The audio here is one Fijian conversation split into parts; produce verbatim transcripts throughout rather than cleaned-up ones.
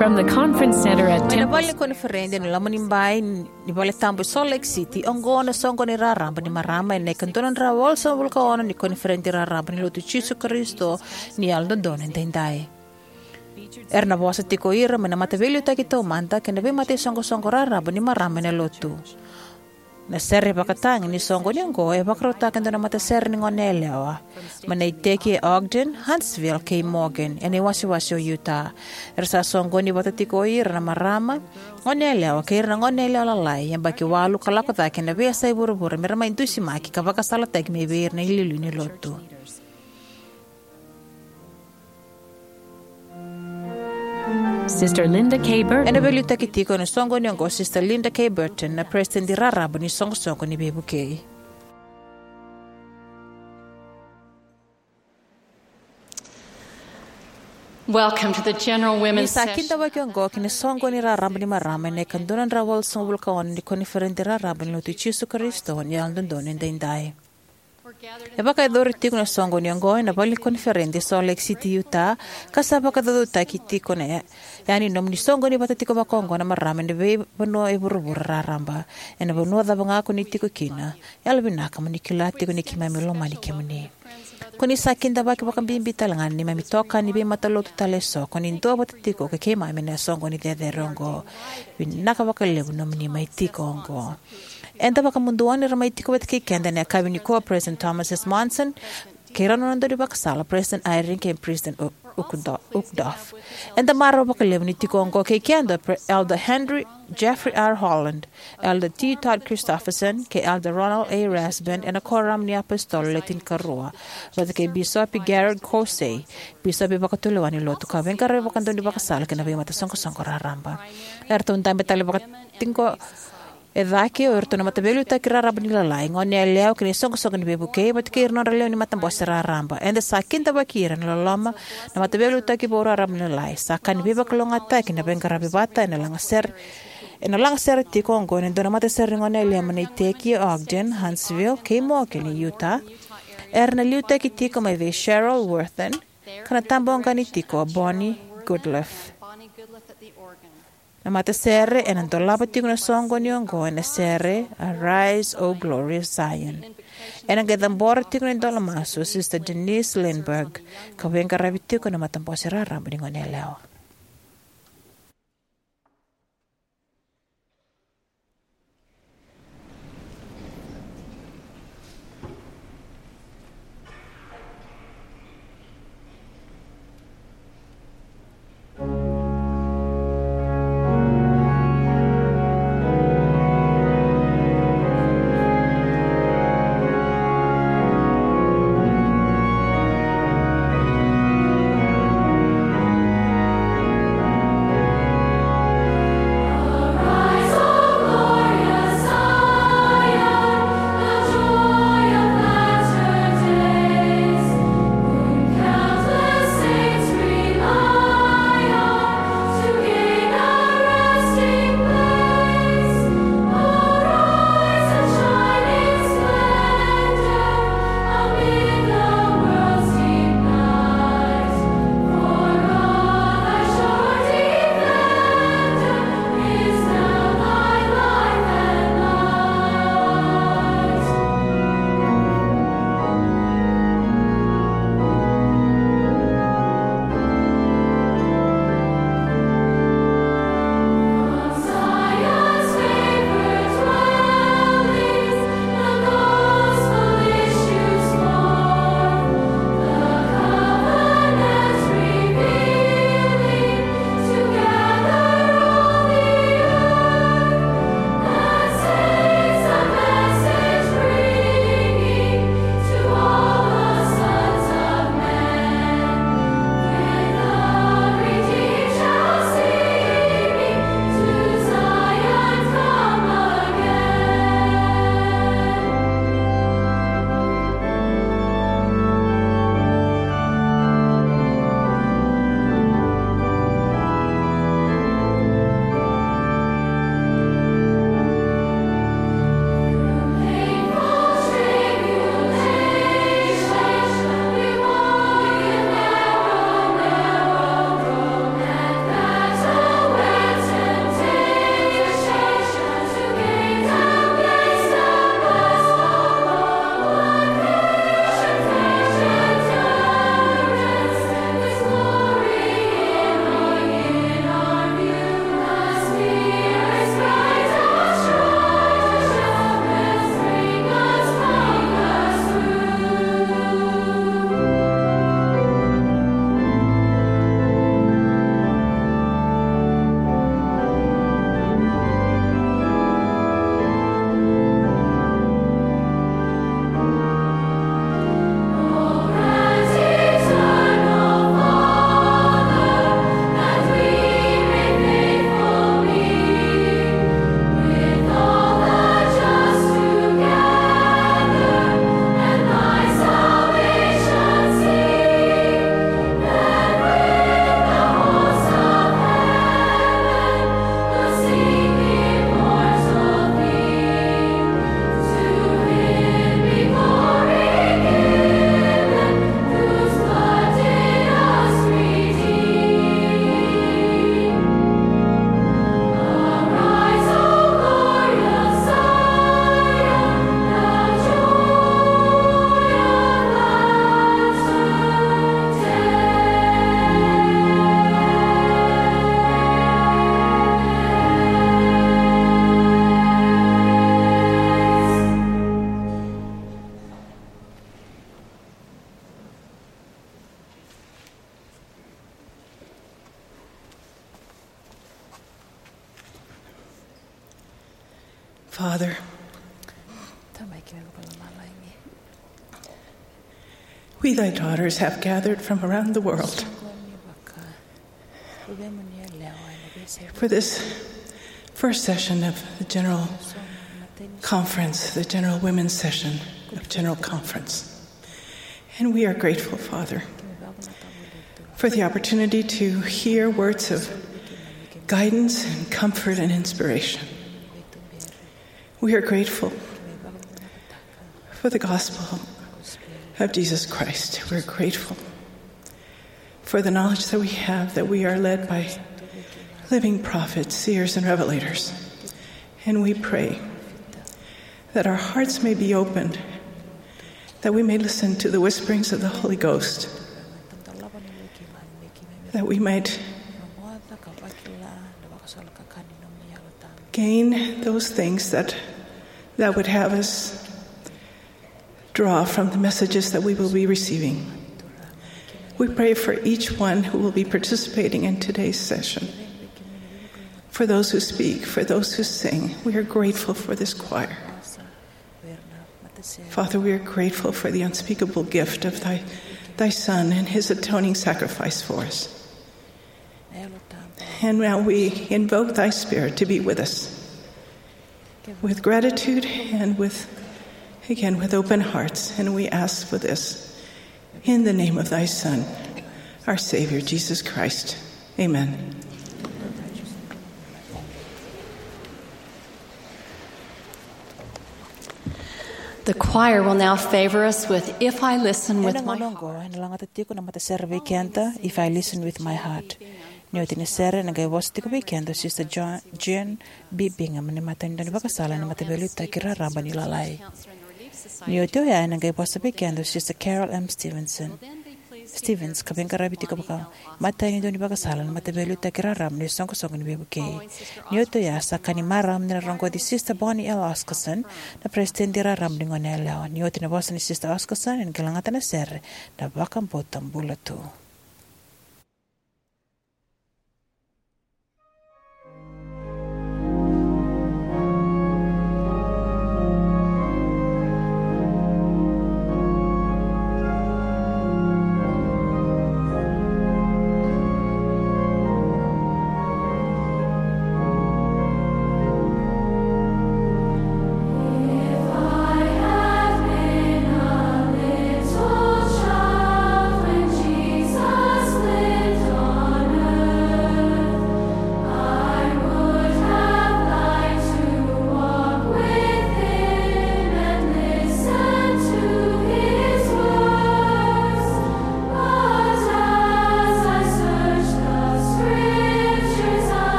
From the conference center at Mai na Temple vale ni koniferedi ena loma ni bai ni vale tabu e Salt Lake City, oqo na soqoni raraba ni marama ena ika dua na drau walusagavulu ka ono ni koniferedi raraba ni Lotu i Jisu Karisito ni Yalododonu Edaidai. Era na vosa tiko o ira mai na mataveiliutaki taumada kei na veimata isoqosoqo raraba ni marama ena Lotu. Na sere vakatagi ni soqoni oqo e vakarautaka e dua na matasere ni goneyalewa mai na iteki e Ogden, Huntsville kei Morgan, ena iwasewase o Utah. Era sa soqoni vata tiko o ira na marama, goneyalewa kei ira na goneyalewa lalai, yabaki walu ka lako cake ena veiyasai vuravura, me ra mai dusimaki ka vakasalataki mai vei ira na iliuliu ni Lotu. Sister Linda K. Burton. Ena veiliutaki tiko ena soqoni oqo o Sister Linda K. Burton, na peresitedi raraba ni Soqosoqo ni Veivukei. Welcome to the General Ni Women's sa Session. Kidavaki oqo ki na soqoni raraba ni marama ena ika dua na drau walusagavulu ka ono ni koniferedi raraba ni Lotu i Jisu Karisito ni Yalododonu Edaidai. E vakayacori tiko na soqoni oqo ena vale ni koniferedi e Salt Lake City, Utah, ka sa vakacaucautaki tiko na ya-, yani nomuni soqoni vata tiko vakaoqo na marama ena veivanua e vuravura raraba. Ena vanua cava ga ko ni tiko kina, yalovinaka mo ni kila tiko ni keimami lomani kemuni. Ko ni sa kidavaki vakabibi tale ga na neimami itokani veimatalotu tale eso ko ni duavata tiko kei keimami ena soqoni cecere oqo. Vinaka vakalevu nomuni mai tiko oqo. Eda vakamuduo ni ra mai tiko vata kei keda ena yakavi nikua o President Thomas S. Monson kei rau na nodra daunivakasala, President Eyring kei President U-, Uchtdorf. Eda marau vakalevu ni tiko oqo kei keda o Pre-, Elder Henry Jeffrey R. Holland, Elder T. Todd Christofferson kei Elder Ronald A. Rasband ena Koramu ni iApositolo Le Tinikarua, vata kei Bisopi Garrett Caussé, Bisopi Vakatulewa ni Lotu ka veiqaravi vakadaunivakasala kei na veimatasoqosoqo raraba. Eratou dabe tale vakatiko e cake o iratou na mataveiliutaki raraba ni lalai, goneyalewa kei na iSoqosoqo ni Veivukei vata kei ira na nodra lewe ni matabose raraba. Eda sa kidavaki ira ena loloma na mataveiliutaki vou raraba ni lalai. Sa ka ni veivakalougatataki na veiqaravi vata ena lagasere, ena lagasere tiko oqo ena dua na matasere ni goneyalewa mai na iteki e Ogden, Huntsville kei Morgan e Utah. Era na liutaki tiko mai vei Cheryl Worthen, ka na tabaqani tiko o Bonnie Goodliff. Na matasere ena dolava tiko na soqoni oqo ena sere Arise, O Glorious Zion. Ena qai cabora tiko na idola masu o Sister Denise Lindberg, ka veiqaravi tiko na matabose raraba ni goneyalewa. Father, Tamai keimami vakalomalagi. We, thy daughters, have gathered from around the world for this first session of the General Conference, the General Women's Session of General Conference. And we are grateful, Father, for the opportunity to hear words of guidance and comfort and inspiration. We are grateful for the gospel of Jesus Christ. We're grateful for the knowledge that we have, that we are led by living prophets, seers, and revelators. And we pray that our hearts may be opened, that we may listen to the whisperings of the Holy Ghost, that we might gain those things that, that would have us draw from the messages that we will be receiving. We pray for each one who will be participating in today's session, for those who speak, for those who sing. We are grateful for this choir. Father, we are grateful for the unspeakable gift of thy, thy Son and his atoning sacrifice for us. And now we invoke thy Spirit to be with us, with gratitude and with, again, with open hearts. And we ask for this in the name of thy Son, our Savior, Jesus Christ. Amen. The choir will now favor us with If I Listen With Ena My gauna Heart. Oqo, ena lagata tiko na matasere vei keda, If I Listen With My Heart. Ni oti na sere, ena qai vosa tiko vei keda o Sister Jo-, Jane B. Bingham, ni matanitu ni vakasala ni Mataveiliutaki Raraba ni Lalai. Ni oti oya, ena qai vosa vei keda o Sister Carol M. Stevenson. Stevens, ka veiqaravi tiko vaka matanitu ni vakasala na Mataveiliutaki Raraba ni Soqosoqo ni Veivukei. Ni oti oya, sa ka ni marama ni na rogoci Sister Bonnie L. Oscarson, na peresitedi raraba ni Goneyalewa. Ni oti na vosa ni Sister Oscarson, ena qai lagata na sere, Na Vakabauta Bula Tu.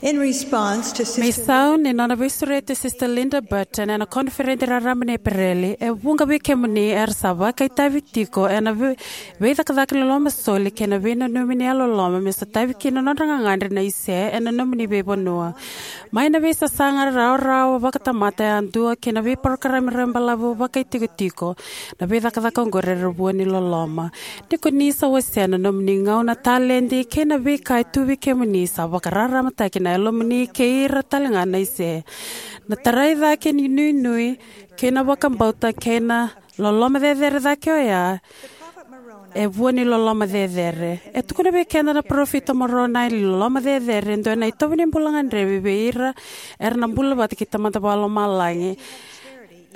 In response to Mai Sister sau ni nona veisureti Sister Linda Burton ena koniferedi raraba ni Epereli, e vuqa vei kemuni era sa vakaitavi tiko ena vei- veicakacaka ni loloma soli kei na veinanumi ni yalololoma me sotavi kina na nodra gagadre na ise ena nomuni veivanua. Mai na veisasaga rawarawa vakatamata yadua kei na veiparokaramu rabailevu vakaitikotiko, na veicakacaka oqori era vua ni loloma. Ni ko ni sa wasea na nomuni gauna, taledi kei na veika e tu vei kemuni, sa vakararamataki na yalomuni kei ira talega na ise. Na tarai cake ni nuinui kei na vakabauta kei na loloma cecere cake oya e vua ni loloma cecere. E tukuna vei keda na parofita o Moronai ni loloma cecere e dua na itovo ni bula gadrevi vei ira era na bula vata kei Tamada Vakalomalagi.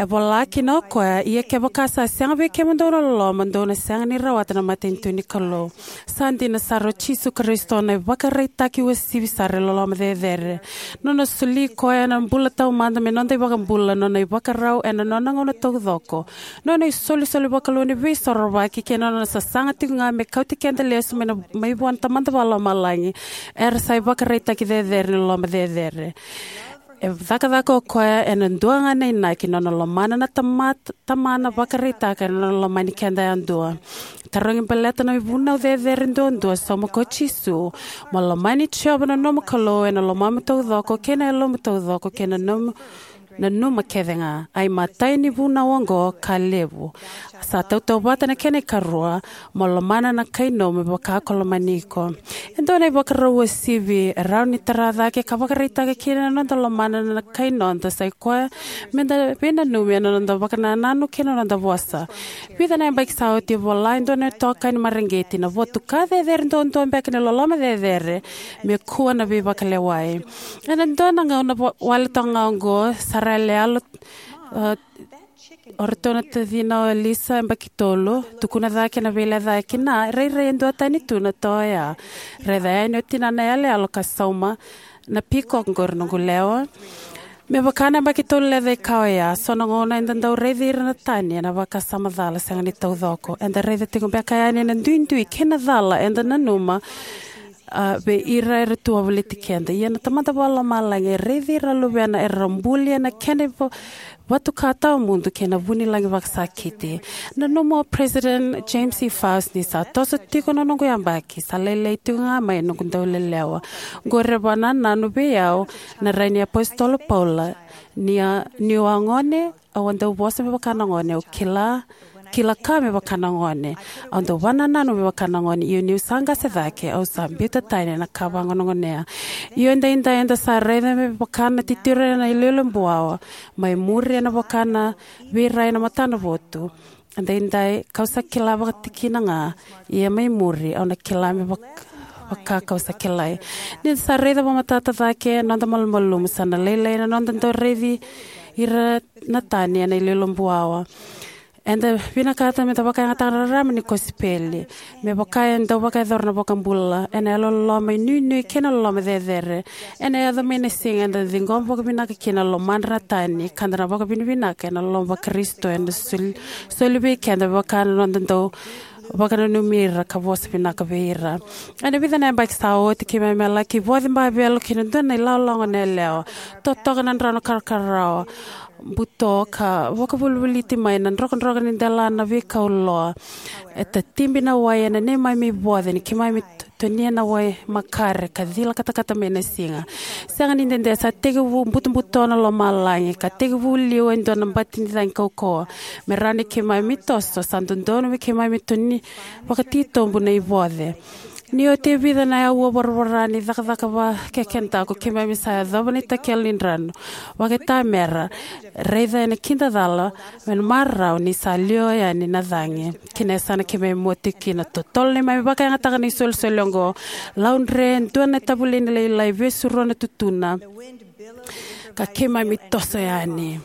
E vola kina o koya, ia kevaka sa sega vei kemudou na loloma, dou na sega ni rawata na matanitu ni Kalou. Sa dina sara, o Jisu Karisito na ivakaraitaki uasivi sara e loloma cecere. Nona soli koya ena bula taumada me noda iVakabula, nona ivakarau ena nona gauna taucoko, nona isolisoli vakalou ni veisorovaki kei na nona sasaga tiko ga me kauti keda lesu mai na, mai vua na Tamada Vakalomalagi, era sa ivakaraitaki cecere ni loloma cecere. E cakacaka o koya ena dua ga na inaki, nona lomana na tama- Tamana vakaraitaka ena nona lomani keda yadua. Tarogi baleta na ivunau cecere duadua, sauma ko Jisu: Mo lomani Jiova na nomu Kalou ena lomamu taucoko, kei na yalomu taucoko, kei na nomu nanuma kece ga. A imatai ni vunau oqo ka levu. Sa tautauvata na kena ikarua: Mo lomana na kai nomu me vaka ko lomani iko. E dua na ivakarau uasivi e rawa ni tara cake ka vakaraitaka kina na noda lomana na kai noda, sa i koya me da veinanumi ena noda vakanananu kei na noda vosa. Vica na yabaki sa oti, e vola e dua na itokani mareqeti, na votuka cecere duadua beka ni loloma cecere me kua na veivakalewai. Ena dua na gauna wa- wale toka ga oqo, sa ra yaloyalo, uh, o ratou na tacina o Elisa, yabaki tolu, tukuna cake na veilecayaki kina, rairai e duatani tu na toa oya. Raica yani o tinana yaloyalo ka sauma: Na peacock oqori, noqu lewa. Me vaka na yabaki tolu lecaika oya, so na gauna eda dau raici ira na tani ena vakasama cala sega ni taucoko. Eda raica tiko beka yani na duidui kei na cala eda nanuma, a, vei ira era tu wavoliti keda. Ia na Tamada Vakalomalagi e raici ira na luvena era buli ena kena iva- vatuka tawamudu kei na vunilagi vakasakiti. Nanuma o President James E. Faust ni sa toso tiko na noqu yabaki, sa lailai tiko ga mai noqu daulelewa. Oqori e vakanananu vei au na rai ni apositolo Paula: Ni a- niu a gone, au a dau vosa me vaka na gone, au kila kila ka me vaka na gone, au dau vakanananu me vaka na gone, io niu sa qase cake, au sa biuta tani na ka vagonegonea. Io edaidai eda sa raica me vaka na titiro ena iloilo buawa, mai muri ena vaka na veirai ena matanavotu. Edaidai kau sa kila vakatikina ga, ia mai muri au na kila me vak- vaka kau sa kilai. Ni da sa raica vakamatata cake na noda malumalumu, sa na lailai na noda dau raici ira na tani ena iloilo buawa. Eda vinakata me da vakayagataka na rarama ni kosipeli, me vaka e dau vakayacora na iVakabula, ena yalololoma inuinui kei na loloma cecere. Ena yaco mai na siga eda ciqoma vakavinaka kina na lomadra na tani, ka da na vakavinavinaka ena loloma vaKarisito ena soli, soli vei keda me vaka na noda dau vakananumi ira ka vosa vinaka vei ira. Ena vica na yabaki sa oti, keimami a laki voce bavelo ki na dua na ilawalawa goneyalewa. Totoka na drau na karakarawa, buto ka vakavolivoliti mai na drokadroka ni dela na veikau loa. E tatibi na wai ena neimami voce ni keimami t- tonia na wai makare ka cila katakata mai na siga. Sega ni dede, sa tekivu butobuto na lomalagi ka tekivu liwa e dua na bati ni cagi kaukauwa. Me rawa ni keimami toso, sa dodonu me keimami toni vakatitobu na ivoce. Ni oti e vica na aua voravora ni cakacaka vakekedaku, keimami sa yacova na itakelo ni drano vakaitamera, raica ena kidacala me na marau ni sa liwa yani na cagi ki na yasana keimami mua tiko kina. Totolo neimami vakayagataka na isolisoli oqo, laudre e dua na tavuliga lailai, vesurua na tutuna, ka keimami toso yani.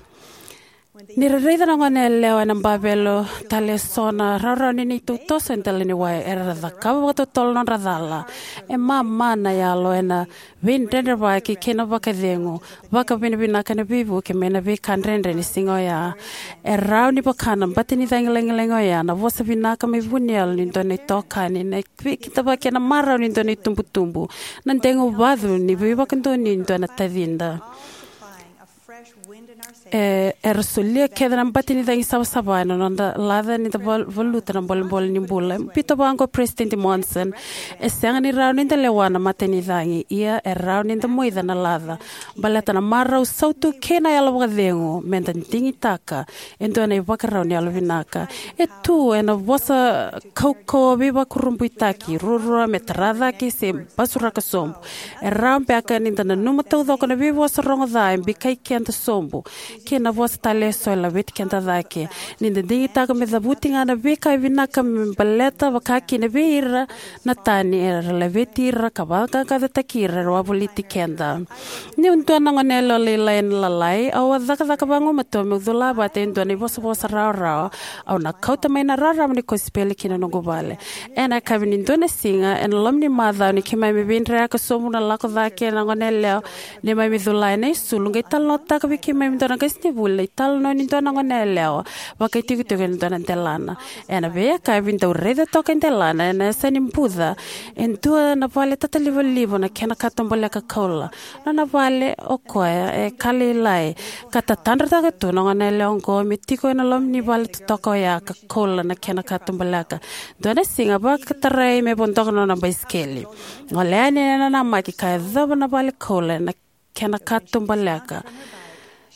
Ni ra raica na goneyalewa ena bavelo tale eso na rawarawa ni neitou toso e dela ni wai, era cakava vakatotolo nodra cala. E mama na yalo ena veidredrevaki kei na vakacegu, vakavinavinaka ena veivuke mai na veika dredre ni siga oya. E rawa ni vaka na bati ni cagi lagilagi oya na vosa vinaka mai vuniyalo ni dua na itokani, na veikidavaki ena marau ni dua na itubutubu, na degu vacu ni veivakadonui ni dua na tacida. E, era solia kece na bati ni cagi savasava ena noda laca ni da val-, valuta na bolebole ni bula. Biuta vaqo President Monson: E sega ni rawa ni da lewa na mata ni cagi, ia e rawa ni da moica na laca. Baleta na marau sautu kei na yalo vakacegu, me da digitaka e dua na ivakarau ni yalo vinaka. E tu ena vosa kaukauwa veivakurabuitaki, ruarua me tara cake se basuraka sobu. E rawa beka ni da nanuma taucoko na veivosa rogo ca e bikai keda sobu, kei na vosa tale eso e laveti keda cake. Ni da digitaka me cavuti ga na veika e vinaka me baleta, vaka kina vei ira na tani era laveti ira ka vaqaqacotaki ira era wavoliti keda. Niu dua na goneyalewa lailai ena lalai, au a cakacaka vagumatua meu cula vata e dua na ivosavosa rawarawa. Au na kauta mai na rarama ni kosipeli ki na noqu vale. Ena yakavi ni dua na siga ena loma ni macawa, ni keimami veidreyaka sobu na lako cake na goneyalewa neimami cula ena isulu, qai talanoataka vei keimami e dua na qasenivuli na italanoa ni dua na goneyalewa vakaitikotiko ena dua na delana. Ena veiyakavi, dau raica toka e delana ena yasa ni buca e dua na vale tatalivaliva na kena katubaleka koula. Nona vale o koya e ka lailai, ka tatadrataka tu na goneyalewa oqo me tiko ena loma ni vale totoka oya ka koula na kena katubaleka. Dua na siga, vakatarai me vodoka na nona baisikeli. Gole yani ena namaki ka yacova na vale koula na kena katubaleka.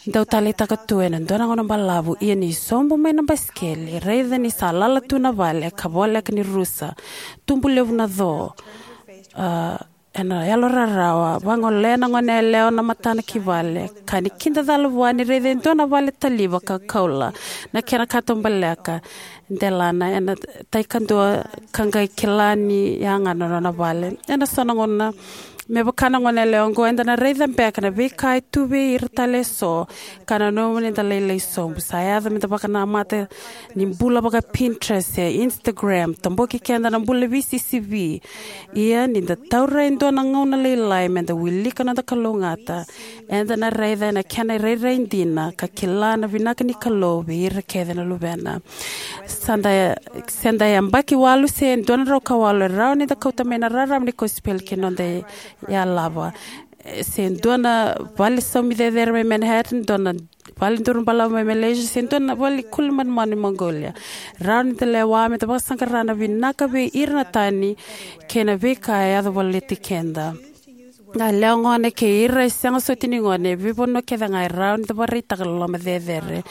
Dau taleitaka tu ena dua na gauna balavu, ia ni sobu mai na basikeli, raica ni sa lala tu na vale ka voleka ni rusa. Tubu levu na co. A, ena yalo rarawa, vagolea na goneyalewa na matana ki vale, ka ni kidacala vua ni raica e dua na vale taliva ka koula na kena katubaleka. Delana ena tai kadua ka qai kila ni yaga na nona vale. Ena so na gauna, me vaka na goneyalewa oqo, eda na raica beka na veika e tu vei ira tale eso, ka nanuma ni da lailai sobu. Sa yaco me da vakanamata ni bula vaka Pinterest se Instagram, toboki keda na bula veisisivi. Ia ni da taura e dua na gauna lailai me da wilika noda kalougata, eda na raica ena kena irairai dina ka kila na vinaka ni Kalou vei ira kece na luvena. Sa da, se da yabaki walu se dua na drau ka walu, e rawa ni da kauta mai na rarama ni kosipeli ki na noda yalava. Se dua na vale saumi cecere mai Manhattan, dua na vale duru balavu mai Malaysia, se dua na vale kuli manumanu mai Mongolia. Rawa ni da lewa me da vakasaqara na vinaka vei ira na tani kei na veika e yaco voliti keda. Na yalewa gone kei ira e sega soti ni gone, e veivanua kece ga e rawa ni da vakaraitaka loloma cecere.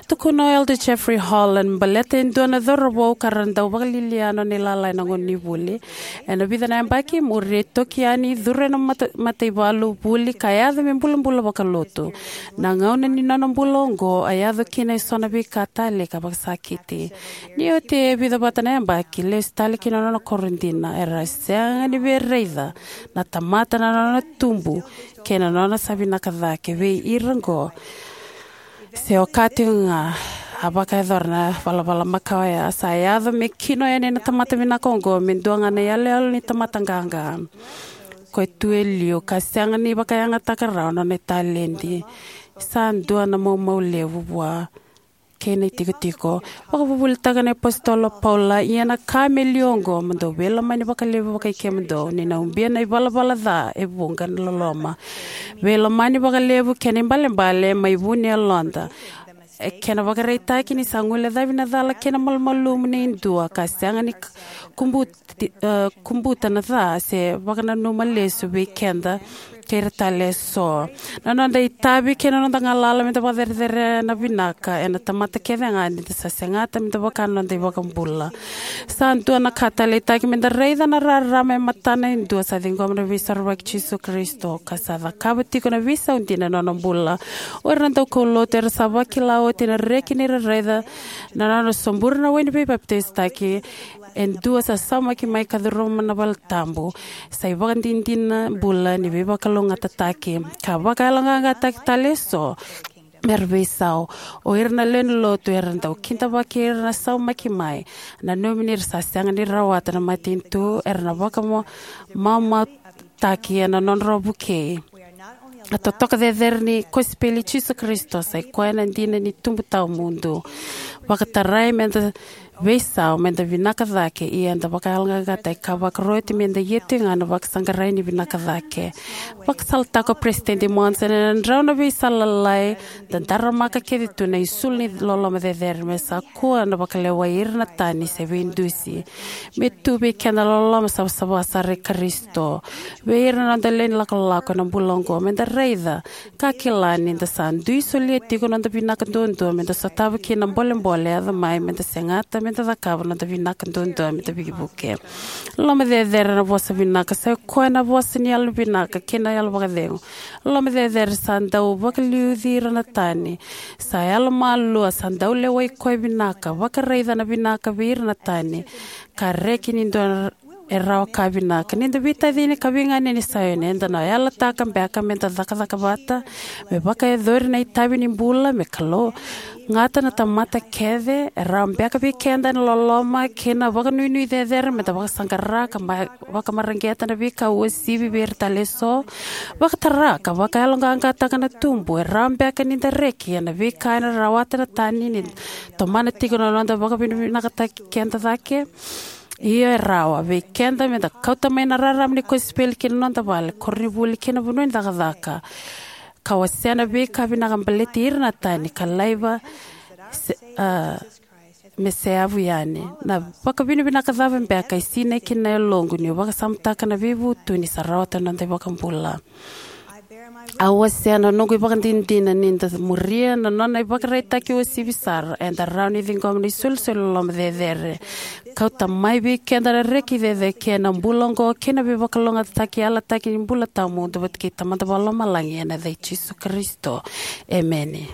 Tukuna o Elder Jeffrey Holland baleta e dua na cauravou ka ra dau vakalialia nona ilala ena gauna ni vuli. Ena vica na yabaki i muri, e toki yani, curu ena mata, mataivalu, vuli, ka yaco me bulabula vakalotu. Na gauna ni nona bula oqo a yaco kina eso na veika tale ka vakasakiti. Ni oti e vica vata na yabaki, lesu tale ki na nona koro dina, era sega ni via raica na tamata na nona tubu kei na nona sa vinaka cake vei ira oqo. Se okati ga, a vakayacora na valavala makawa oya. Sa yaco me kino yani na tamata vinaka oqo me dua ga na iyaloyalo ni tamata qaqa. Ko e tu e liu ka sega ni vakayagataka rawa na nona italedi. Sa dua na maumau levu vua kei na itikotiko. Vakavuvulitaka na iApositolo o Paula: Ia na ka me liu oqo, mo dou veilomani vakalevu vakai kemudou, ni na ubia na ivalavala ca e vuqa na loloma. Veilomani vakalevu kei na ibalebale mai vu ni yaloda. E kena ivakaraitaki ni sa guilecavi na cala kei na malumalumu nei dua ka sega ni k-, kubu-, ti-, e, kubuta na ca se vakananuma lesu vei keda kei ira tale eso. Na noda itavi kei na noda galala me da vakacerecerei na vinaka ena tamata kece ga ni da sa segata me da vaka na noda iVakabula. Sa dua na ka taleitaki me da raica na rarama e matana e dua sa ciqoma na Veisorovaki i Jisu Karisito ka sa cakava tiko na veisau dina ena nona bula. O ira na daukaulotu era sa vakila oti na reki ni ra raica na nona sobura na wai ni veipapitaisotaki e dua sa saumaki mai ka curuma na valetabu. Sa ivakadinadina bula ni veivakalougatataki ka vakayaloqaqataki tale eso. me ra veisau. O ira na lewe ni lotu era dau kidavaki ira na saumaki mai, nanumi ni ra sa sega ni rawata na matanitu era na vakamamautaki ena nodrau vukei. A totoka cecere ni kosipeli i Jisu Karisito sa i koya na dina ni tubu tawamudu. Vakatarai me da veisau, me da vinaka cake, ia da vakayaloqaqataki ka vakaroti me da ia tiko ga na vakasaqarai ni vinaka cake. Vakasalataka o Peresitedi Monson, ena drau na veisala lalai, da daramaka kece tu na isulu ni loloma cecere, me sa kua na vakalewai ira na tani se veidusi. Me tu vei keda na loloma savasava sara i Karisito vei ira na noda lewe ni lakolako ena bula oqo, me da raica ka kila ni da sa dui solia tiko noda vinaka duadua me da sotava kina na bolebole e yaco mai, me da segata me da cakava noda vinaka duadua me da veivuke. Loloma cecere na vosa vinaka sa i koya na vosa ni yalo vinaka kei na yalo vakacegu. Loloma cecere sa dau vakaliuci ira na tani. Sa yalomalua, sa dau lewai koya vinaka, vakaraica na vinaka vei ira na tani, ka reki ni dua e rawa ka vinaka. Ni da veitacini ka veiganeni Saioni, eda na yalataka beka me da cakacaka vata me vakayacori na itavi ni bula, me kalougata na tamata kece. E rawa beka vei keda na loloma kei na vakanuinui cecere me da vakasaqara ka ma-, vakamareqeta na veika uasivi vei ira tale eso. Vakatara ka vakayaloqaqataka na tubu. E rawa beka ni da reki ena veika ena rawata na tani ni tomana tiko na noda vakavinavinakataki keda cake. Ia e rawa vei keda me da kauta mai na rarama ni kosipeli ki na noda vale, koronivuli kei na vanua ni cakacaka, ka wasea na veika vinaka baleti ira na tani ka laiva se, a, me seavu yani. Na vakavinavinaka cava beka e sinai kina na yaloqu niu vakasamataka na veivutuni sa rawata na noda iVakabula? Au wasea na noqu ivakadinadina ni da muria na nona ivakaraitaki uasivi sara, eda rawa ni ciqoma na isolisoli loloma cecere. Kauta mai vei keda na reki cecere kei na bula oqo kei na veivakalougatataki yalataki ni bula tawamudu vata kei Tamada Vakalomalagi ena yaca i Jisu Karisito. Emeni.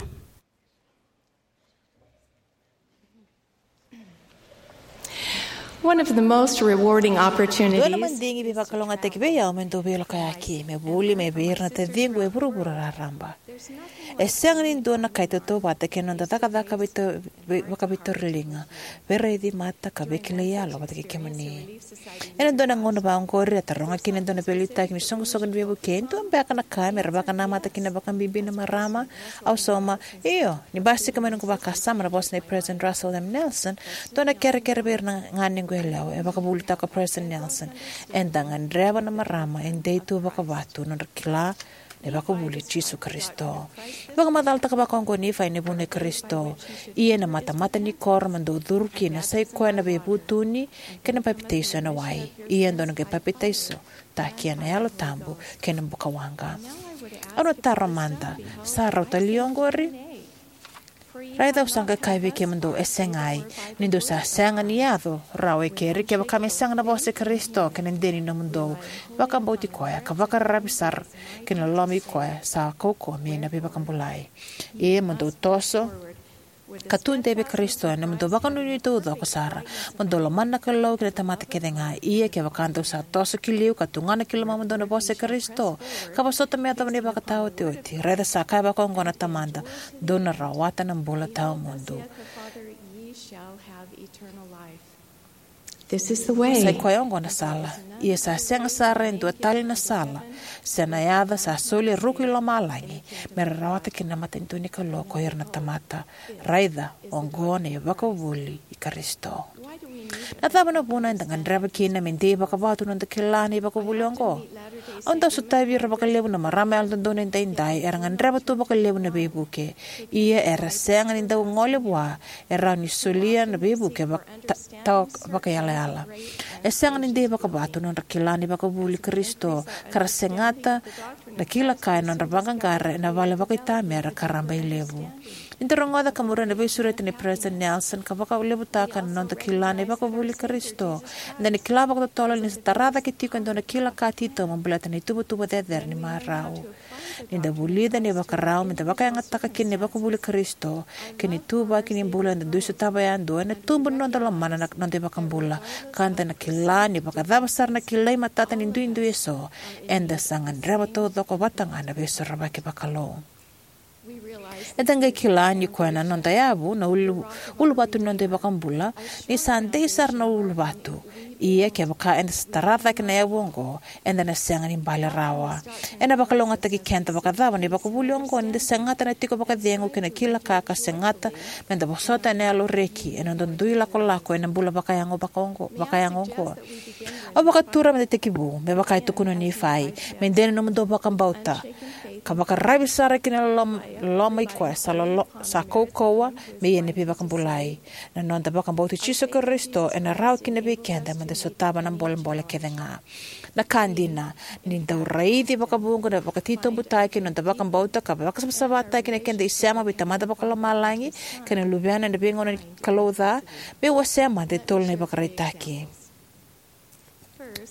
One of the most rewarding Dua na opportunities madigi veivakalougatataki vei au me dau veilokaiyaki, me vuli mai vei ira na taciqu e vuravura raraba. E sega ni dua na ka e tautauvata kei na noda cakacaka veito-, vei-, vakaveitauriliga, veiraici mata ka veikilai yalo vata kei kemuni. Ena dua na gauna vaqori, a taroga kina e dua na veiliutaki ni soqosoqo ni veivuke, e dua beka na ka me ra vakanamata kina vakabibi na marama? Au sauma, io, ni basika mai noqu vakasama na vosa nei President Russell M. Nelson, dua na kerekere vei ira na ganequ yalewa. E vakavuvulitaka o President Nelson, eda gadreva na marama e dei tu vakavatu nodra kila na ivakavuvuli i Jisu Karisito. Vakamacalataka vakaoqo o Nifai na vunau i Karisito. Ia na matamata ni koro mo dou curu kina sa i koya na veivutuni kei na papitaiso ena wai. Ia dou na qai papitaiso taki ena Yalo Tabu kei na bukawaqa. Au na taro mada, sa rauta li oqori? Raica au sa qai kaya vei kemudou, e segai, ni dou sa sega ni yaco rawa e keri kevaka me sega na vosa i Karisito kei na dede ni nomudou vakabauti koya ka vakararavi sara ki na loloma i koya sa kaukauwa me na veivakabulai. Ia mo dou toso ka tudei vei Karisito ena nomudou vakanuinui taucoko sara, mo dou lomana na Kalou kei na tamata kece ga. Ia kevaka dou sa toso ki liu ka tugana ki lomamudou na vosa i Karisito, ka vosota me yacova na ivakataotioti, raica sa kaya vakaoqo na Tamada, dou na rawata na bula tawamudu. This is the way. Sa i koya oqo na sala. Ia sa sega sara e dua tale na sala se na yaca sa soli e ruku i lomalagi me ra rawata kina na matanitu ni Kalou ko ira na tamata. Raica, oqo na ivakavuvuli i Karisito. Na cava na vuna eda gadreva kina me dei vakavatu na noda kila na ivakavuvuli oqo? Au dau sotavi ira vakalevu na marama yalododonu edaidai era gadreva tu vakalevu na veivuke. Ia era sega ni dau gole vua e rawa ni solia na veivuke vaka-, ta-, tawa vakayalayala. E sega ni dei vakavatu na nodra kila na ivakavuvuli i Karisito, ka ra segata na kila ka ena nodra vaqaqara ena vale vakaitamera ka rabailevu. Ni da rogoca ka muria na veisureti nei President Nelson ka vakalevutaka na noda kila na ivakavuvuli i Karisito, eda na kila vakatotolo ni sa tara cake tiko e dua na kila ka titobu baleta na ituvatuva cecere ni marau. Ni da vulica na ivakarau me da vakayagataka kina na ivakavuvuli i Karisito kei na ituvaki ni bula eda dui sotava yadua, ena tubu na noda lomana na noda iVakabula, ka da na kila ni vakacava sara na kilai matata ni duidui eso, eda sa gadreva taucoko vata ga na veisorovaki vakalou. Eda qai kila ni koya na noda yavu na ulu, uluvatu ni noda iVakabula, ni sa dei sara na uluvatu. Ia kevaka eda sa tara cake na yavu oqo, eda na sega ni bale rawa. Ena vakalougatataki keda vakacava na ivakavuvuli oqo ni da segata na tiko vakacegu kei na kila ka ka segata me da vosota ena yalo reki ena noda dui lakolako ena bula vakayago vakaoqo, vakayago oqo? Au vakatura me da tekivu, me vaka e tukuna o Nifai, me dei na nomudou vakabauta, ka vakaravi sara ki na lom-, loma i koya sa lolo-, sa kaukauwa me ia na veivakabulai. Na noda vakabauti Jisu Karisito ena rawa kina vei keda me da sotava na bolebole kece ga. Na ka dina, ni dau raici vakavuqa na vakatitobutaki na noda vakabauta ka vakasavasavataki na keda isema vei Tamada Vakalomalagi kei na Luvena ena veigauna ni kalou ca, me wasea mada e tolu na ivakaraitaki.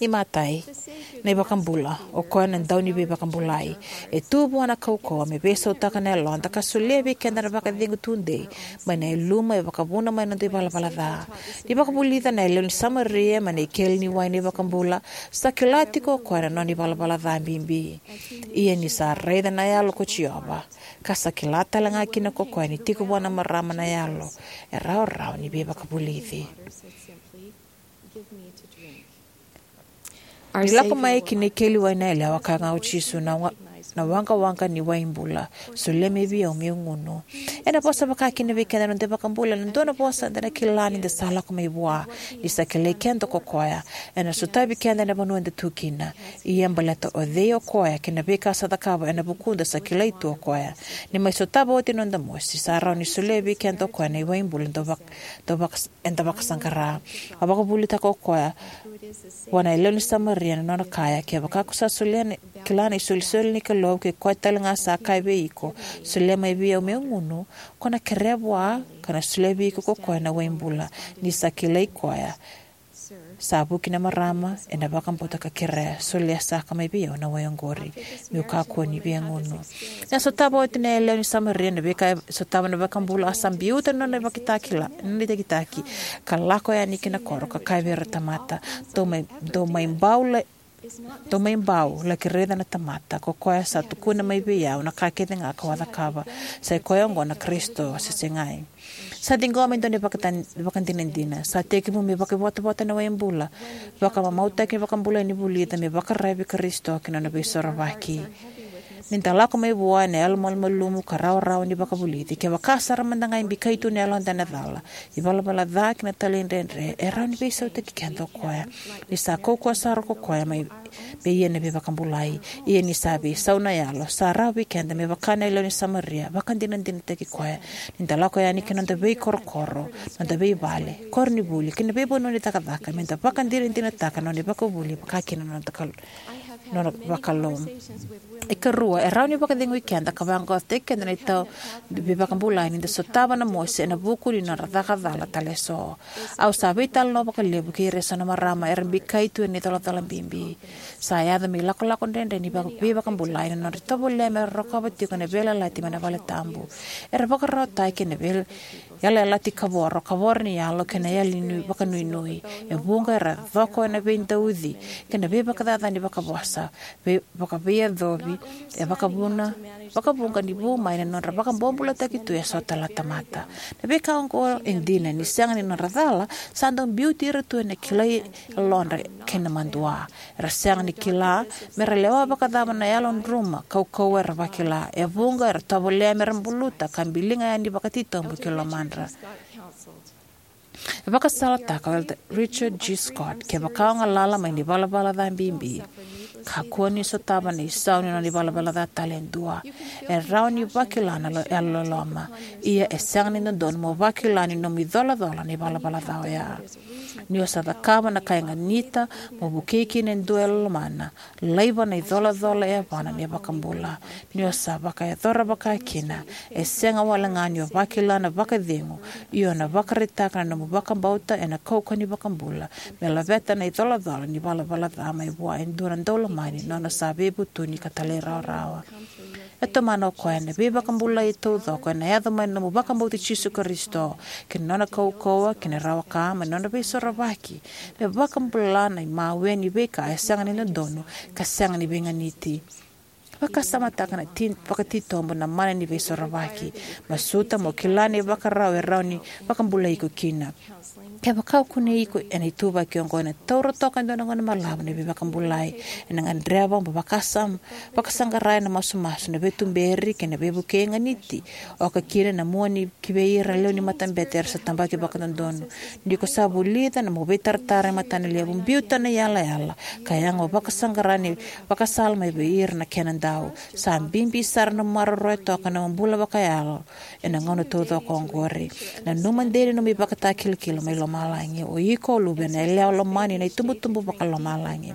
Imatai, na iVakabula, o koya na Dauniveivakabulai, e tu vua na kaukauwa me veisautaka na yaloda ka solia vei keda na vakacegu tudei mai na yaluma e vakavuna mai na noda ivalavala ca. Ni vakavulica na yalewa ni Samaria mai na ikeli ni wai na iVakabula, sa kila tiko o koya na nona ivalavala ca bibi. Ia ni sa raica na yalo ko Jiova, ka sa kila tale ga kina ko koya ni tiko vua na marama na yalo, e rawarawa ni veivakavulici. Ni lako mai ki na ikeli wai na yalewa, kaya ga o Jisu, na wa-, na waqawaqa ni wai bula, solia mai vei au meu gunu. Ena vosa vaka kina vei keda na noda iVakabula ena dua na vosa eda na kila ni da sa lako mai vua, ni sa kilai keda ko koya. Ena sotavi keda ena vanua eda tu kina. Ia baleta o cei o koya kei na veika sa cakava ena vukuda, sa kilai tu o koya. Ni mai sotava oti na noda mosi, sa rawa ni solia vei keda o koya na iwai bula dau vak-, dau vak-, eda vakasaqara. A vakavulitaka o koya vua na yalewa ni Samaria na nona kaya, kevaka ko sa solia na, kila na isolisoli ni Kalou, kei koya tale ga sa kaya vei iko, solia mai vei au meu gunu, ko na kerea vua, ka na solia vei iko ko koya na wai bula. Ni sa kilai koya, sa vuki na marama, ena vakabauta ka kerea, solia saka mai vei au na wai oqori, meu kakua ni via gunu. Na sotava oti na yalewa ni Samaria na veika e sotava na iVakabula, a sa biuta na nona ivakitakila, na nona itakitaki, ka lako yani ki na koro, ka kaya vei ira na tamata, dou mai, dou mai bau la, dou mai bau, laki raica na tamata, ko koya sa tukuna mai vei au na ka kece ga kau a cakava, sa i koya oqo na Karisito, se segai. Sa ciqoma e dua na ivakatan-, ivakadinadina. Sa tekivu me vakaivotavota na wai bula. Vakamamautaki na iVakabula ni vulica me vakararavi vei Karisito kei na nona veisorovaki. Ni da lako mai vua ena yalomalumalumu ka rawarawa ni vakavulici, kevaka sara mada ga e bikai tu na yaloda ena cala, ivalavala ca kei na talaidredre, e rawa ni veisautaki keda o koya. Ni sa kaukauwa sara ko koya mai me ia na veivakabulai. Ia ni sa veisau na yalo, sa rawa vei keda me vaka na yalewa ni Samaria, vakadinadinataki koya. Ni da lako yani ki na noda veikorokoro, noda veivale, koronivuli, kei na veivanua ni cakacaka, me da vakadinadinataka na nona ivakavuvuli, vaka kina na noda kal-, nona vakalou. Ikarua, e rawa ni vakacegui keda ka vaqaqacotaki keda na itau ni veivakabulai ni da sotava na mosi ena vuku ni nodra caka cala tale eso. Au sa veitalanoa vakalevu kei ira eso na marama era bikai tu ena icolacola bibi. Sa yaco me ilakolako dredre ni vaka-, veivakabulai na nodra tovolea mera rokova tiko na veiyalayalati mai na valetabu. Era vakararawataki ena vei-, yalayalati kavoro, kavoro ni yalo kei na yali ni vakanuinui. E vuqa era coko ena veidauci kei na veivakacacani vakavosa, vei-, vakaveiyacovi, e vakavuna, vakavuqa ni vu mai na nodra vakabobulataki tu eso tale na tamata. Na veika oqo e dina ni sega ni nodra cala, sa dau biuti ira tu ena kilai yalodra kei na madua. Era sega ni kila mera lewa vakacava na yalodruma, kaukauwa era vakila. E vuqa era tovolea mera buluta ka biliga yani vakatitobu ki lomadra. E vakasalataka o Elder Richard G. Scott, kevaka o galala mai na ivalavala ca bibi, kakua ni sotava na isau ni nona ivalavala ca tale e dua. E rawa ni vakila na lo-, yalololoma. Ia e sega ni dodonu mo vakila ni nomu icolacola na ivalavala ca oya. Ni o sa cakava na ka e ganita mo vukei kina e dua e lomana, laiva na icolacola e yavana na iVakabula. Ni o sa vakayacora vakakina, e sega wale ga ni o vakila na vakacegu, ia o na vakaraitaka na nomu vakabauta ena kaukauwa ni iVakabula me laveta na icolacola ni valavala ca mai vua e dua na daulomani, nona sa veivutuni ka talairawarawa. E tomana o koya na veivakabulai taucoko ena yaco mai na nomu vakabauti Jisu Karisito, kei na nona kaukauwa, kei na rawa ka, mai na nona veisorovaki. Me vakabula na imawe ni veika e sega ni dodonu ka sega ni veiganiti. Vakasamataka na ti- vakatitobu na mana ni veisorovaki. Masuta mo kila na ivakarau e rawa ni vakabulai iko kina. Kevaka o kunei iko ena ituvaki oqo, ena taura toka e dua na gauna balavu ni veivakabulai. Ena gadreva mo vakasam- vakasaqara ena masumasu na veituberi kei na veivukei e ganiti, oka kina na mua ni ki vei ira na lewe ni matabete era sa tabaki vakadodonu. Ni ko sa vulica na mo veitaratara e matana levu, biuta na iyalayala ka yaga mo vakasaqara na ivakasala mai vei ira na kenadau. Sa bibi sara na maroroya toka na bula vakayalo ena gauna taucoko oqori. Nanuma dei na nomu ivakatakilakila mai lomalagi. O iko o luvena yalewa lomani ena itubutubu vakalomalagi.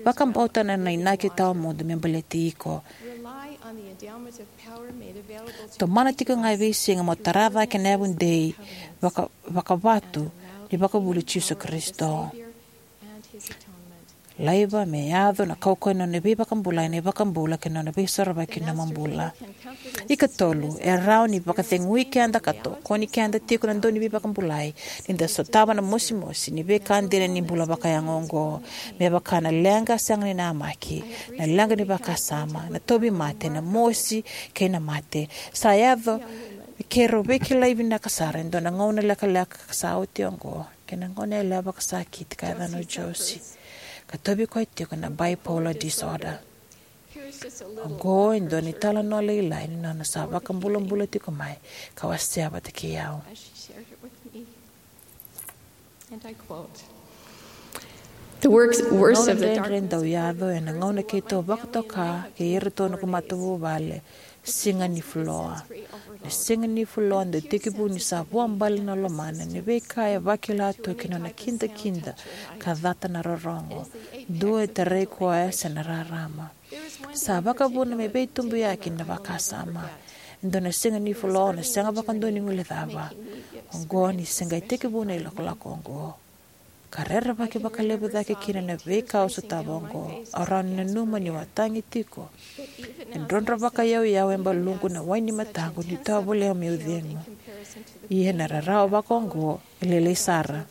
Vakabauta na, na inaki tawamudu me baleti iko. Tomana tiko ga e veisiga mo tara cake na yavudei vaka- vakavatu ni vakavuvuli Jisu Karisito. Laiva me yaco na kaukauwa ni nona veivakabulai, na iVakabula kei na nona veisorovaki na nomu bula. Ikatolu, e rawa ni vakacegui keda ka tokoni keda tiko na dau ni veivakabulai ni da sotava na mosimosi ni veika dina ni bula vakayago oqo, me vaka na leqa sega ni namaki, na leqa ni vakasama, na tauvimate, na mosi kei na mate. Sa yaco me keirau veikilai vinaka sara e dua na gauna lekaleka ka sa oti oqo kei na gone yalewa vakasakiti ka yacana o Josie, ka tauvi koya tiko na bipolar disorder. Oqo e dua na italanoa lailai ni nona sa vakabulabula tiko mai ka wasea vata kei au. The works, worst of the Gauna dredre dau yaco ena gauna keitou vakatoka kei iratou na noqu matavuvale, siga ni fuloa. Na siga ni fuloa dau tekivu ni sa vuabale na lomana, ni veika e vakila tu ki na nona kidakida ka cata na rorogo. Dua e tarai koya se na rarama. Sa vakavuna me veitubuyaki na vakasama. E dua na siga ni fuloa o na sega vakadua ni guilecava. Oqo ni se qai tekivu na ilakolako oqo. Ka rerevaki vakalevu cake kina na veika au sotava oqo. Au rawa ni nanuma niu a tagi tiko. E drodro vakaiyauyau e baluqu na wai ni mataqu niu tovolea meu cegu. Ia na rarawa vaka oqo e lailai sara.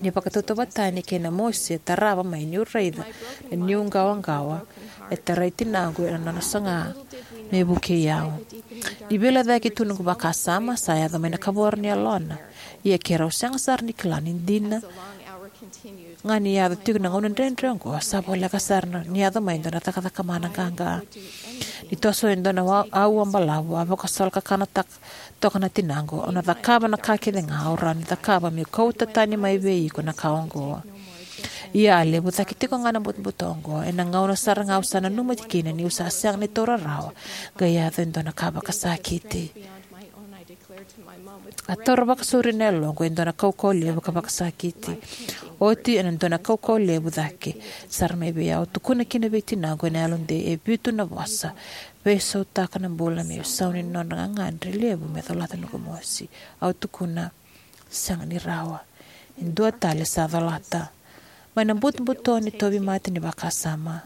Ni vakatautauvatani kei na mosi e tarava mai niu raica na niu qawaqawa e tarai tinaqu ena nona saga me vukei au. Ni veilecayaki tu noqu vakasama, sa yaco mai na kavoro ni yalona. Ia keirau sega sara ni kila ni dina ga ni yaco tiko na gauna dredre oqo, sa voleka sara ni yaco mai e dua na cakacaka mana qaqa. Ni toso e dua na wa- auwa balavu, a vakasolokakana tak- toka na tinaqu. Au na cakava na ka kece ga au rawa ni cakava meu kauta tani mai vei iko na ka oqo. Ia a levu cake tiko ga na butobuto oqo. Ena gauna sara ga au sa nanuma kina niu sa sega ni taura rawa, qai yaco e dua na ka vakasakiti. A taura vakasauri na yaloqu e dua na kaukauwa levu ka vakasakiti. Oti ena dua na kaukauwa levu cake sara mai vei au, tukuna kina vei tinaqu ena yalodei e vitu na vosa: Veisautaka na bula me isau ni nodra gagadre levu me colata noqu mosi. Au tukuna, sega ni rawa. E dua tale sa colata. Mai na butobuto ni tauvimate ni vakasama,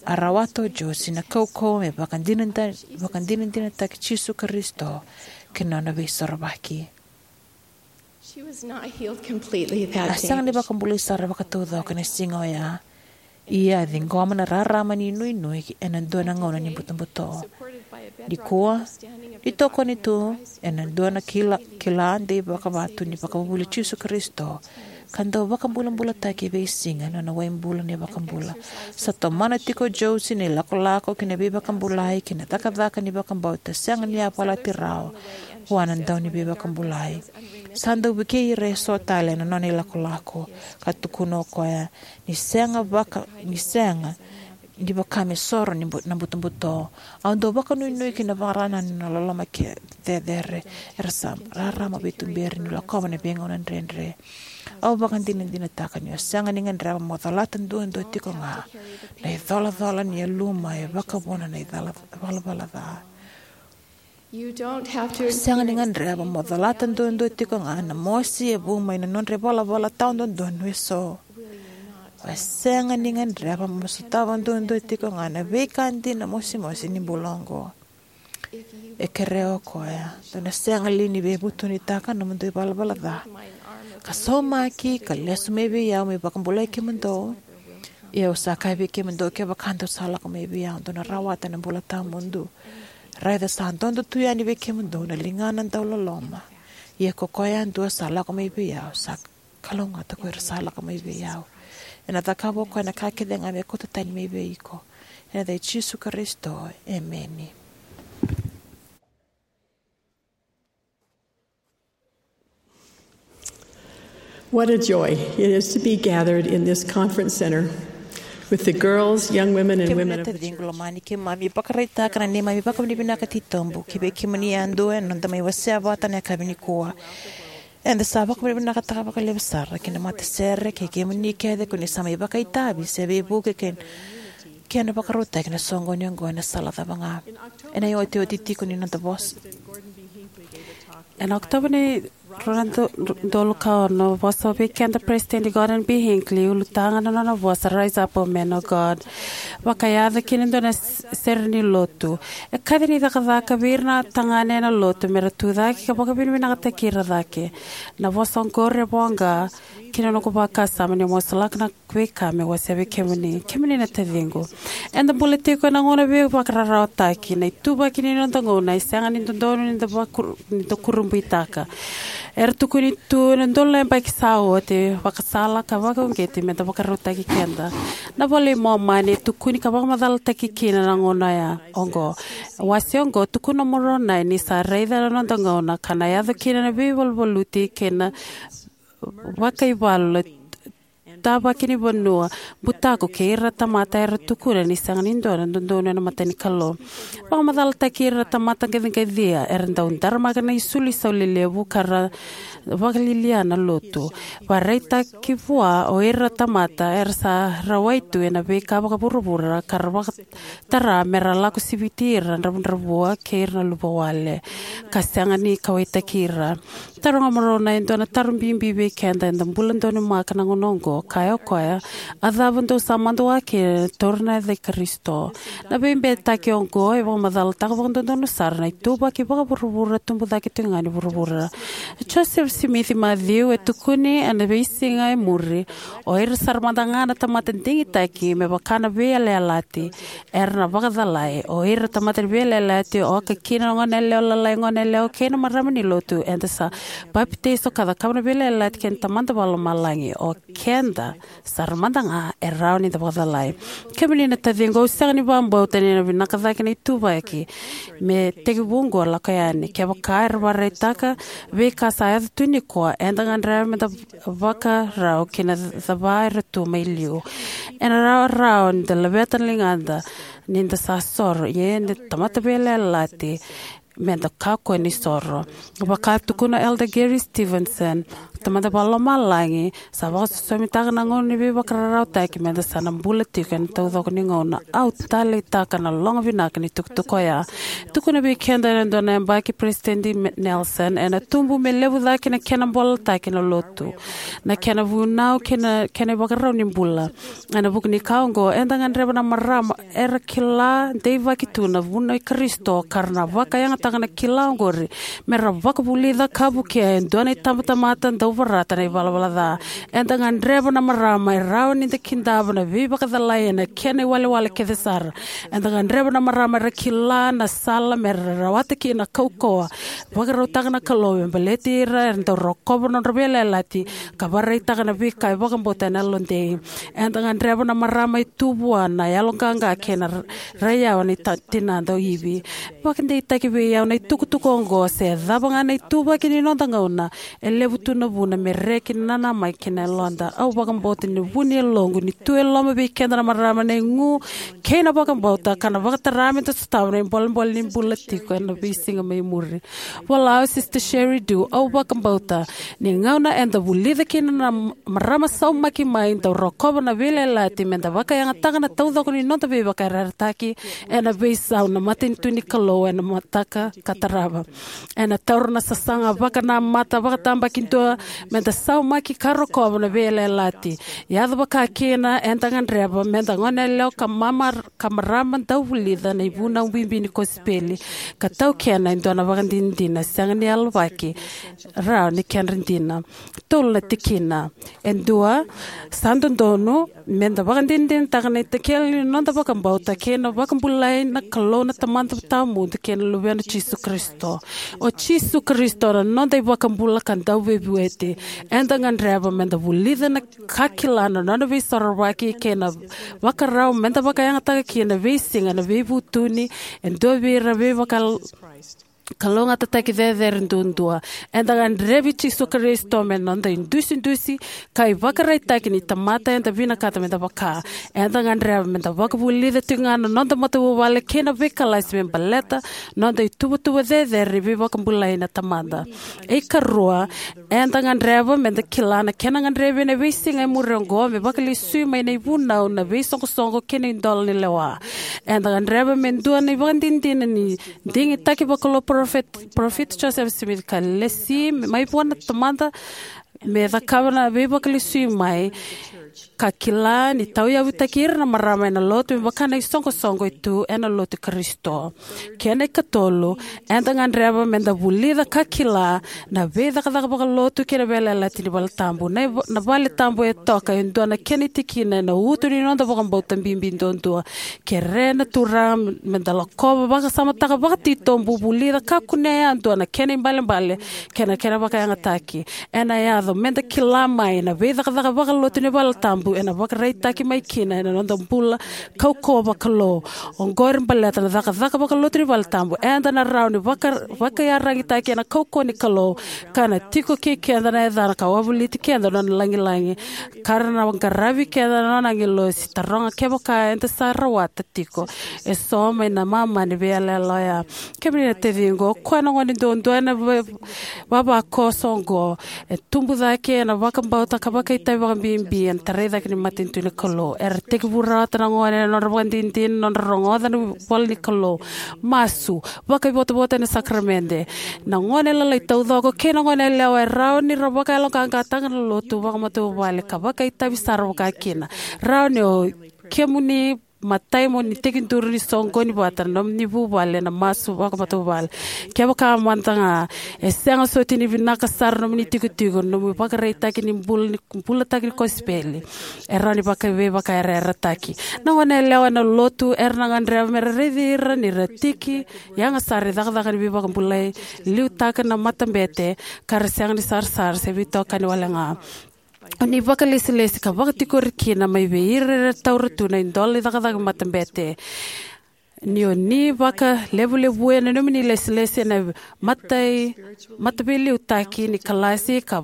a rawata o Josie na kaukauwa me vakadinada- vakadinadinataki Jisu Karisito kei na nona veisorovaki. She was not healed completely that day. A sega ni vakabulai sara vakataucoko ena siga oya. Ia a ciqoma na rarama ni nuinui ena dua na gauna ni butobuto. Nikua, ni tokoni tu ena dua na kila, kila dei vakavatu ni vakavuvuli Jisu Karisito, ka dau vakabulabulataki e veisiga ena nona waibula na iVakabula. Sa tomana tiko o Josie na ilakolako ki na veivakabulai kei na cakacaka ni vakabauta sega ni yavalati rawa vua na dau ni veivakabulai. Sa dau vukei ira eso tale ena nona ilakolako, ka tukuna o koya ni sega vaka- ni sega ni vaka me soro ni bu- na butobuto. Au dau vakanuinui ki na vakararama ni nona loloma ke- cecere. Era sa rarama veituberi niu lakova na veigauna dredre. Au vakadinadinataka niu sega ni gadreva mo colata duadua tiko ga na icolacola ni yaluma e vakavuna na icala- valavala ca. Sega ni gadreva mo colata duadua tiko ga na mosi e vu mai na nodra ivalavala tawa dodonu eso. Sega ni gadreva mo sotava duadua tiko ga na veika dina mosimosi ni bula oqo. E kerea o koya, dou na sega li ni veivutunitaka na nomudou ivalavala ca, ka saumaki ka lesu mai vei au meu vakabulai kemudou? Ia au sa kaya vei kemudou, kevaka dou sa lako mai vei au, dou na rawata na bula tawamudu. Raica sa dodo tu yani vei kemudou na ligana dauloloma. Ia ko koya yadua sa lako mai vei au, sa kalougata ko ira sa lako mai vei au. Ena cakava o koya na ka kece ga me kauta tani mai vei iko. Ena yaca i Jisu Karisito, emeni. What a joy it is to be gathered in this conference center with the girls, young women, and women of the church. Kemuni na taciqu lomani, keimami vakaraitaka na neimami vakavinavinaka titobu ki vei kemuni yadua ena noda mai wasea vata na yakavi nikua. Eda sa vakavinavinakataka vakalevu sara ki na matasere kei kemuni kece ko ni sa mai vakaitavi se veivuke kei na kena vakarautaki na soqoni oqo ena sala cava ga. Ena iotioti tiko ni noda vosa. Ena Okotova ni rua na udolu ka ono, vosa vei keda President Gordon B. Hinckley, ulutaga na nona vosa Rise Up, O Men of God, vakayaco kina e dua na s-, sere ni lotu. E kaci ni cakacaka vei ira na tagane ena lotu me ra tucake ka vakavinavinakataki ira cake. Na vosa oqori e voqa ki na noqu vakasama niu masulaka na veika meu wasea vei kemuni. Kemuni na taciqu, eda bula tiko ena gauna veivakararawataki. Na ituvaki ni noda gauna e sega ni dodonu ni da vakur-, ni da kurabuitaka. Era tukuni tu ena udolu na yabaki sa oti, vakasala ka vakauqeti me da vakarautaki keda. Na iVola i Momani e tukuni ka vakamacalataki kina na gauna ya oqo. Wase oqo, Tukuna o Moronai ni sa raica na noda gauna ka na yaco kina na veivaluvaluti kei na vakaivalu, tavaki ni vanua, butako kei ira na tamata era tukuna ni sega ni dua na dodonu ena mata ni Kalou. Vakamacalataki ira na tamata qaciqacia era dau daramaka na isulu isau lelevu ka ra vakalialia na lotu. Vakaraitaki vua o ira na tamata era sa rawai tu ena veika vakavuravura ka ra vakatara me ra lako siviti ira na dravudravua kei ira na luvawale ka sega ni kauwaitaki ira. Taroga Moronai e dua na taro bibi vei keda eda bula donumaka na gauna oqo. Kaya o koya, a cava dou sa madua kina, taura na yaca i Karisito. Na veibeitaki oqo e vakamacalataka vakadodonu sara na ituvaki vakavuravura tubu cake tiko ga ni vuravura. Joseph Smith Matthew e tukuni ena veisiga e muri, o ira sara mada ga na tamata digitaki me vaka na veiyalayalati era na vakacalai. O ira na tamata ni veiyalayalati, oka kina na goneyalewa lalai, goneyalewa kei na marama ni lotu, eda sa papitaiso ka cakava na veiyalayalati kei na Tamada Vakalomalagi. O keda sara mada ga e rawa ni da vakacalai. Kemuni na taciqu, au sega ni vakabauta ni na vinaka cake na ituvaki me tekivu oqo lako yani. Kevaka era vakaraitaka veika sa yaco tu nikua, eda gadreva me da vakarau ki na cava era tu mai liu. Ena rawarawa ni da laveta na ligada ni da sa soro, ia eda tamata veiyalayalati, me da kakua ni soro. Vaka tukuna Elder Gary Stevenson, Tamada Vakalomalagi sa vakasosomitaka na gauna ni veivakararawataki me da sa na bula tiko ena taucoko ni gauna. Au taleitaka na logo vinaka ni tukutuku oya. Tukuna vei keda ena dua na yabaki President Me-, Nelson, ena tubu me levu cake na kena bolataki na lotu, na kena vunau kei na kena ivakarau ni bula. Ena vuku ni ka oqo, eda gadreva na marama era kila deivaki tu na vunau i Karisito ka ra na vakayagataka na kila oqori me ra vakavulica ka vukea e dua na itabatamata dau vorata na ivalavala ca. Eda gadreva na marama e rawa ni da kidava na veivakacalai ena kena iwalewale kece sara. Eda gadreva na marama era kila na sala me ra rawata kina na kaukauwa vakarautaka na Kalou me baleti ira era dau rokova na nodra veiyalayalati ka vakaraitaka na veika e vakabauta ena yalodei. Eda gadreva na marama e tu vua na yaloqaqa kei na r-, raiyawa ni ta-, tinada o Ivi. Vakadeitaki vei au na itukutuku oqo, se cava ga na ituvaki ni noda gauna, e levu tu na vuna me reki na nanamaki kei na yaloda. Au vakabauta ni vu ni yaloqu ni tu e loma vei keda na marama na igu kei na vakabauta ka na vakatara me da sotava na ibolebole ni bula tiko ena veisiga mai muri. Vola o Sister Sherry Dew, au vakabauta ni gauna eda vulica kina na marama saumaki mai dau rokova na veiyalayalati me da vakayagataka na taucoko ni noda veivakayarayarataki ena veisau na matanitu ni Kalou ena mataka ka tarava. Ena taura na sasaga vakanamata vakatabakidua meda saumaki ka rokova na veiyalayalati. Yaco vaka kina, eda gadreva meda goneyalewa ka mamar-, ka marama dau vulica na ivunau bibi ni kosipeli, ka taukena e dua na vakadinadina sega ni yalovaki, rawa ni kedra dina. Tolu na tikina. E dua, sa dodonu meda vakadinadinataka na itakele ni noda vakabauta kei na vakabulai na Kalou na Tamada Tawamudu kei na Luvena o Jisu Karisito. O Jisu Karisito na noda iVakabula ka Dauveivueti. Eda gadreva meda vulica na ka kila na nona veisorovaki kei na vakarau meda vakayagataka kina veisiga na veivutuni e dua vei ira veivakal-, kalougatataki cecere duadua. Eda gadrevi Jisu Karisito me noda idusidusi ka ivakaraitaki ni tamata eda vinakata meda vaka. Eda gadreva meda vakavulica tiko ga na noda matavuvale kei na veikalasi me baleta noda ituvatuva cecere ni veivakabulai na Tamada. E karua, eda gadreva meda kila na kena gadrevi ena veisiga e muri oqo me vakalesui mai na ivunau na veisoqosoqo kei na idola ni lewa. Eda gadreva me dua na ivakadinadina ni digitaki vakalou Parofita, Parofita Joseph Smith ka lesi mai vua na Tamada me cakava na veivakalesui mai, ka kila ni tauyavutaki ira na marama ena lotu me vaka na isoqosoqo e tu ena lotu i Karisito. Kena ikatolu, eda gadreva meda vulica ka kila na veicakacaka vakalotu kei na veiyalayalati ni vale tabu. Na iv-, na vale tabu e toka e dua na kena itikina ena uto ni noda vakabauta bibi duadua. Kerea na Turaga meda lakova, vakasamataka vakatitobu, vulica ka kunea yadua na kena ibalebale kei na kena vakayagataki. Ena yaco meda kila mai na veicakacaka vakalotu ni vale tabu ena vakaraitaki mai kina ena noda bula kaukauwa vakalou. Oqori baleta na cakacaka vakalotu ni vale tabu, eda na rawa ni vaka-, vakaiyaragitaki ena kaukauwa ni Kalou, ka na tiko kei keda na yacana ka wavoliti keda na nona lagilagi, ka ra na qaravi keda na nona agilosi. Taroga kevaka eda sa rawata tiko eso mai na mama ni veiyalayala oya. Kemuni na taciqu, o koya na gone duadua ena va-, vavakoso oqo. E tubu cake ena vakabauta ka vakaitavi vakabibi ena tarai cake ni matanitu ni Kalou. Era tekivu rawata na gone ena nodra vakadinadina, nodra rogoca na ivola ni Kalou, masu, vakaivotavota ena sakaramede. Na gone lalai taucoko kei na goneyalewa e rawa ni ra vakayaloqaqataka na lotu vakamatavuvale ka vakaitavi sara vakakina. Rawa ni o kemuni matai mo ni tekiduru ni soqoni vata na nomuni vuvale ena masu vakamatavuvale. Kevaka mada ga e sega soti ni vinaka sara na nomuni tikotiko, na nomuni vakaraitaki ni bula, ni bulataki ni kosipeli, e rawa ni vakaveivakayarayarataki. Na goneyalewa ena lotu era na gadreva mera raici ira ni ra tiki yaga sara ni cakacaka ni veivakabulai, liutaka na matabete, ka ra sega ni sarasara se veitokani wale ga. O ni vakalesilesi ka vakatikori kina mai vei ira era taura tu na idola ni cakacaka matabete. Ni o ni vakalevulevuya na nomuni lesilesi ena matai, mataveiliutaki ni kalasi ka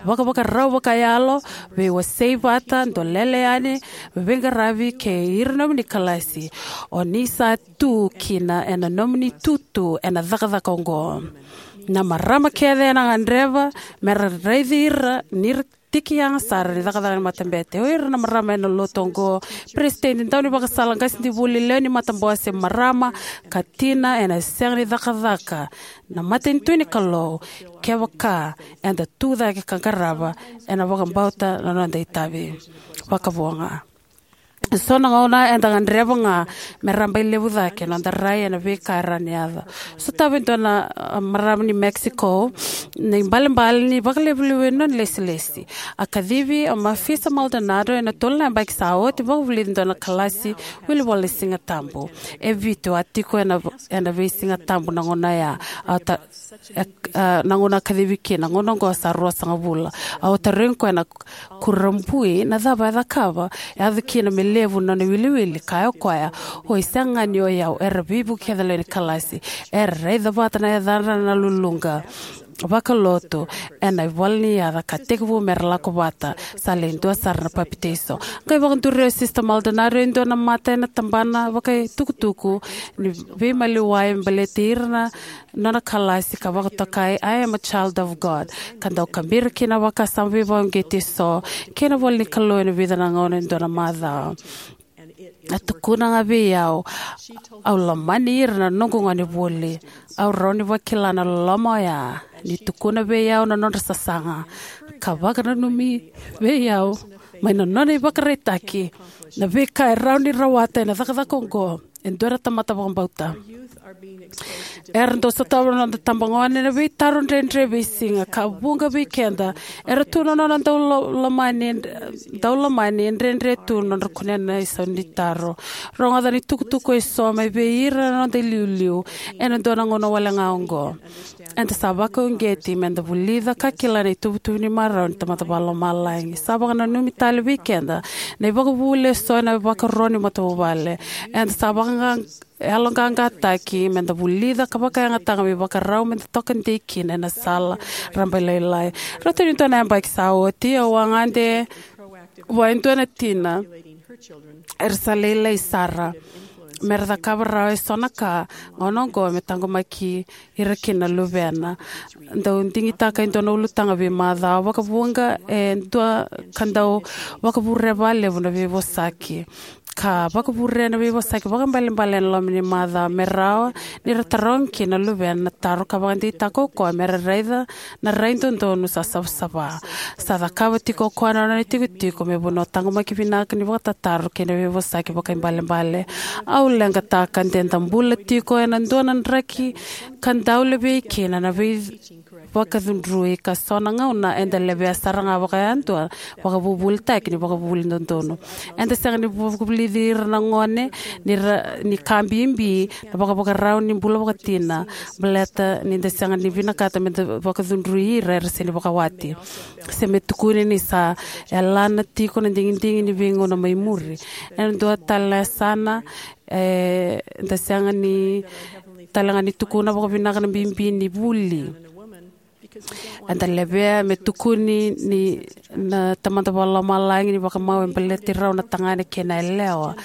vakavakarau vakayalo, veiwasei vata, dolele yani, veiqaravi kei ira nomuni kalasi. O ni sa tu kina ena nomuni tutu ena cakacaka oqo. Na marama kece ena gadreva mera raici ira ni ra tiki yaga sara ni cakacaka ni matabete. O ira na marama ena lotu oqo, peresitedi, daunivakasala, qasenivuli, lewe ni matabose, marama ka tina, ena sega ni cakacaka na matanitu ni Kalou kevaka eda tu cake ka qarava ena vakabauta na noda itavi. Vakavo ga. So na gauna eda gadreva ga me rabailevu cake na noda rai ena veika e rawa ni yaco. Sotava e dua na, a, marama ni Mexico na ibalebale ni vakalevulevu ena nona lesilesi. A kacivi o Mafisa Maldonado ena tolu na yabaki sa oti, vakavulici e dua na kalasi wilivola ni Siga Tabu. E vitu a tiko ena, ena vei Siga Tabu na gauna ya. A ta-, e, a, na gauna a kacivi kina, na gauna oqo sa ruasagavulu. Au tarogi koya na kurabui na cava e cakava, e yaco kina me levu na nona iwiliwili. Kaya o koya, oi, sega ga ni o yau, era veivuke kece na lewe ni kalasi. Era raica vata na yacadra na luluqa vakalotu ena ivola ni yaca ka tekivu mera lako vata. Sa lewe dua sara na papitaiso. Qai vakaduri o Sister Maldonado e dua na mata ena tabana vakaitukutuku ni veimaliwai me baleti ira na nona kalasi ka vakatokai, "I am a child of God." Ka dau kabira kina na vakasama veivakauqeti eso kei na ivola ni Kalou ena vica na gauna ena dua na macawa. A tukuna ga vei au, au lomani ira na noqu gone vuli. Au rawa ni vakila na loloma oya ni tukuna vei au na nodra sasaga, ka vakananumi vei au mai na nona ivakaraitaki na veika e rawa ni rawata ena cakacaka oqo e dua na tamata vakabauta. Era dau sotava na noda tabagone na veitaro dredre veisiga, ka vuqa vei keda era tu na nona dau lo-, lomani, dau lomani e dredre tu na nodra kunea na isau ni taro. Rogoca na itukutuku eso mai vei ira na noda iliuliu ena dua na gauna wale ga oqo. Eda sa vakauqeti meda vulica ka kila na ituvatuva ni marau ni Tamada Vakalomalagi. Sa vakananumi tale vei keda na ivakavuvuli eso ena ivakaro ni matavuvale. Eda sa vaka yaloqaqataki meda vulica ka vakayagataka me ivakarau meda toka dei kina ena sala rabailailai. Rauta ni dua na yabaki sa oti, au a gade vua e dua na tina era sa lailai sara, mera cakava rawa eso na ka gauna oqo me taqomaki ira kina na luvena. Dau digitaka e dua na ulutaga veimacawa, vakavuqa e dua ka dau vakavurea vakalevu na veivosaki. Ka vakavurea na veivosaki vakaibalebale ena loma ni macawa me rawa ni ra taroga kina na luvena na taro ka vakadeitaka o koya mera raica na rai dodonu sa savasava. Sa cakava tiko o koya na nona itikotiko me vanua taqomaki vinaka ni vakatataro kei na veivosaki vakaibalebale. Au leqataka de da bula tiko ena dua na draki ka dau levei kina na veivakacudrui, ka so na gauna eda levea sara ga vakayadua vakavuvulitaki ni vakavuvuli dodonu. Eda sega ni vakavulici ira na gone ni ra, ni ka bibi na vakavakarau ni bula vakatina, baleta ni da sega ni vinakata meda vakacudrui ira era sega ni vakawati, se me tukuni ni sa yalana tiko na digidigi ni veigauna mai muri. Ena dua tale na yasana, e, da sega ni tale ga ni tukuna vakavinaka na bibi ni vuli. Eda levea me tukuni ni na Tamada Vakalomalagi ni vakamau e baleti rau na tagane kei na yalewa.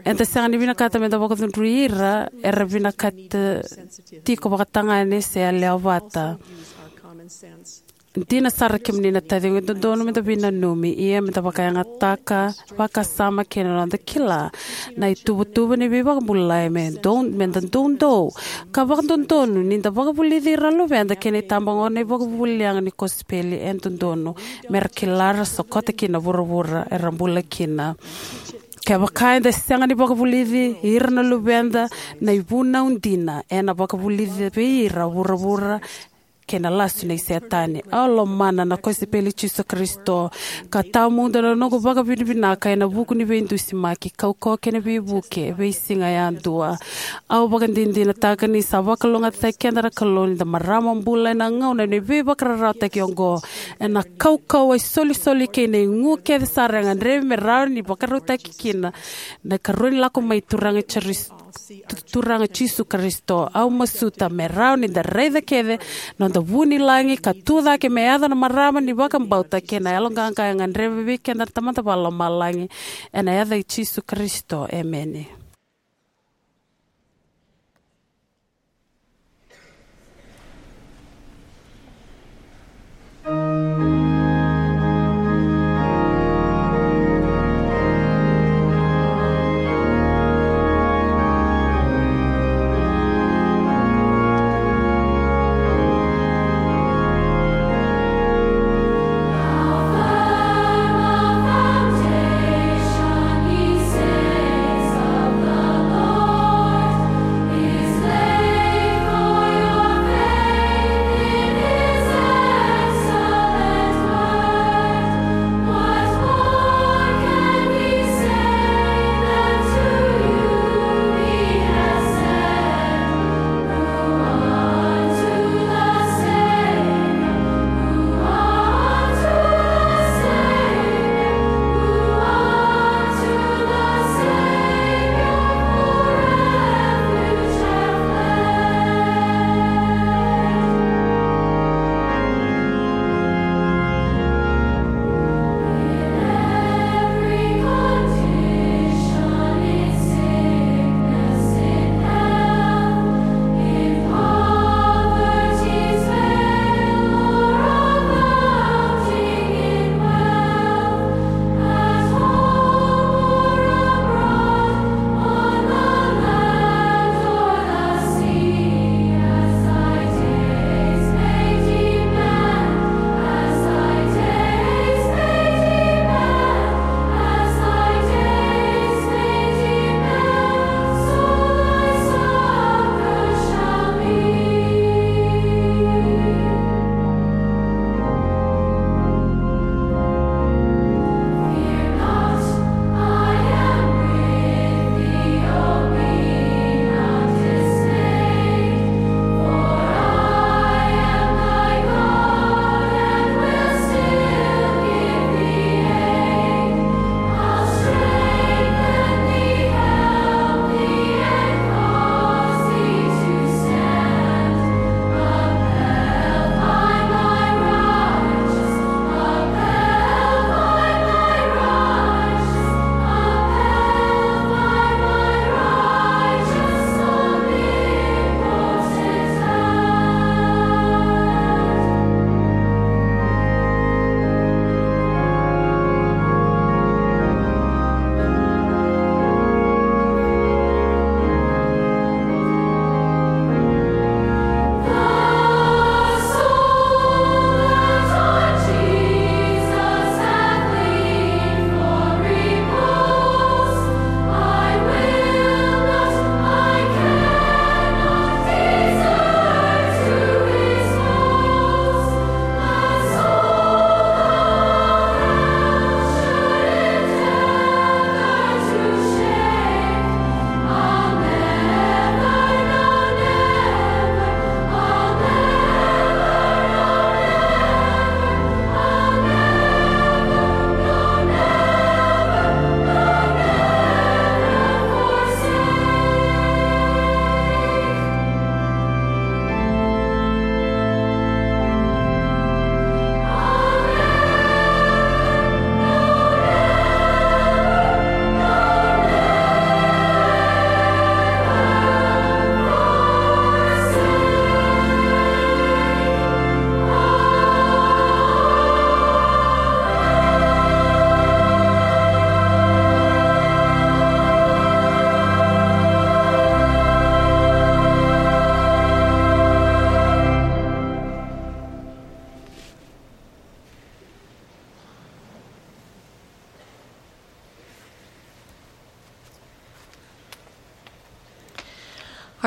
Eda sega ni vinakata meda vakacudrui ira era vinakata tiko vakatagane se yalewa vata. Dina sara, kemuni na taciqu, e dodonu meda veinanumi, ia meda vakayagataka vakasama kei na noda kila na ituvatuva ni veivakabulai me dou, meda doudou ka vakadodonu ni da vakavulici ira na luveda kei na itabagone ena ivakavuvuli yaga ni kosipeli e dodonu, mera kila ra sokota kina na vuravura era bula kina. Kevaka eda sega ni vakavulici ira na luveda, na ivunau dina ena vakavulici vei ira vuravura kei na lasu nei Setani. Au lomana na kosipeli i Jisu Karisito, ka tawamudu na noqu vakavinavinaka ena vuku ni veidusimaki, kaukauwa kei na veivuke e veisiga yadua. Au vakadinadinataka ni sa vakalougatataki keda na Kalou ni da marama bula ena gauna ni veivakararawataki oqo. Ena kaukauwa, isolisoli kei na igu kece sara e gadrevi me rawa ni vakarautaki kina na ikarua ni lako mai Turaga Jisu, Turaga Jisu Karisito. Au masuta me rawa ni da raica kece na noda vu ni lagi ka tu cake me yaco na marama ni vakabauta kei na yaloqaqa e gadrevi vei keda na Tamada Vakalomalagi. Ena yaca i Jisu Karisito, emeni.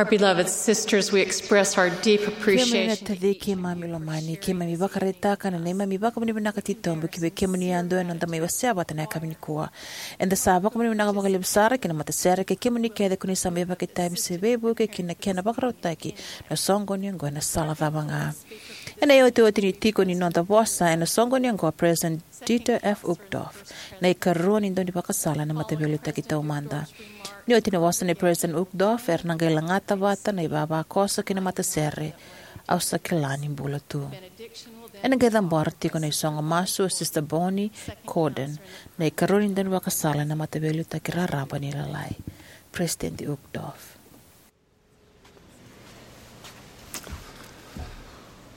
Our beloved sisters, we express our deep Kemuni na appreciation. Taci keimami lomani, keimami vakaraitaka na neimami vakavinavinaka titobu ki vei kemuni yadua ena noda mai wasea vata na yakavi nikua. Eda sa vakavinavinaka vakalevu sara ki na matasere kei kemuni kece ko ni sa mai vakaitavi se veivuke ki na kena vakarautaki na soqoni oqo ena sala cava ga. Ena iotioti ni tiko ni noda vosa ena soqoni oqo, President Dieter F. Uchtdorf, na ikarua ni daunivakasala ena Mataveiliutaki Taumada. Ni oti na vosa nei President Uchtdorf, era na qai lagata vata na ivavakoso kei na matasere, Au sa kila ni bula tu. Ena qai cabora tiko na isogo masu o Sister Bonnie Cordon, na ikarua ni daunivakasala ena Mataveiliutaki Raraba ni Lalai. President Uchtdorf.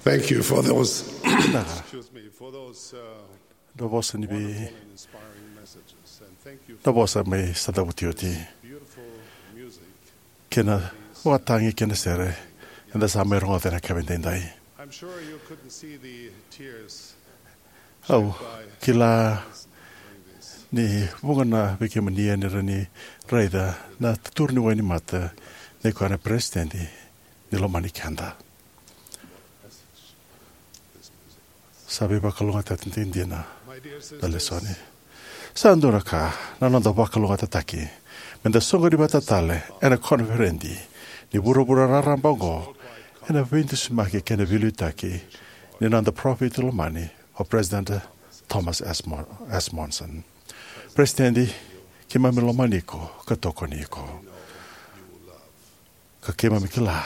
Thank you for those, excuse me, for those, uh, na vosa ni vei, wonderful and inspiring messages. And thank you na for vosa mai sa cavuti oti. Beautiful music. Kei na vakatagi kei na sere eda sa mai rogoca ena yakavi edaidai. I'm sure you couldn't see the tears Au kila ni vuqa na vei kemuni e ni rawa ni raica na tuturu ni wainimata ni koya na peresitedi ni lomani keda. Sa veivakalougatataki dina na lesoni. Sa dua na ka na noda vakalougatataki meda soqoni vata tale ena koniferedi ni vuravura raraba oqo ena veidusimaki kei na veiliutaki ni noda parofita lomani, o President Thomas S. Mo-, S. Monson. President, keimami lomani iko ka tokoni iko. Ka keimami kila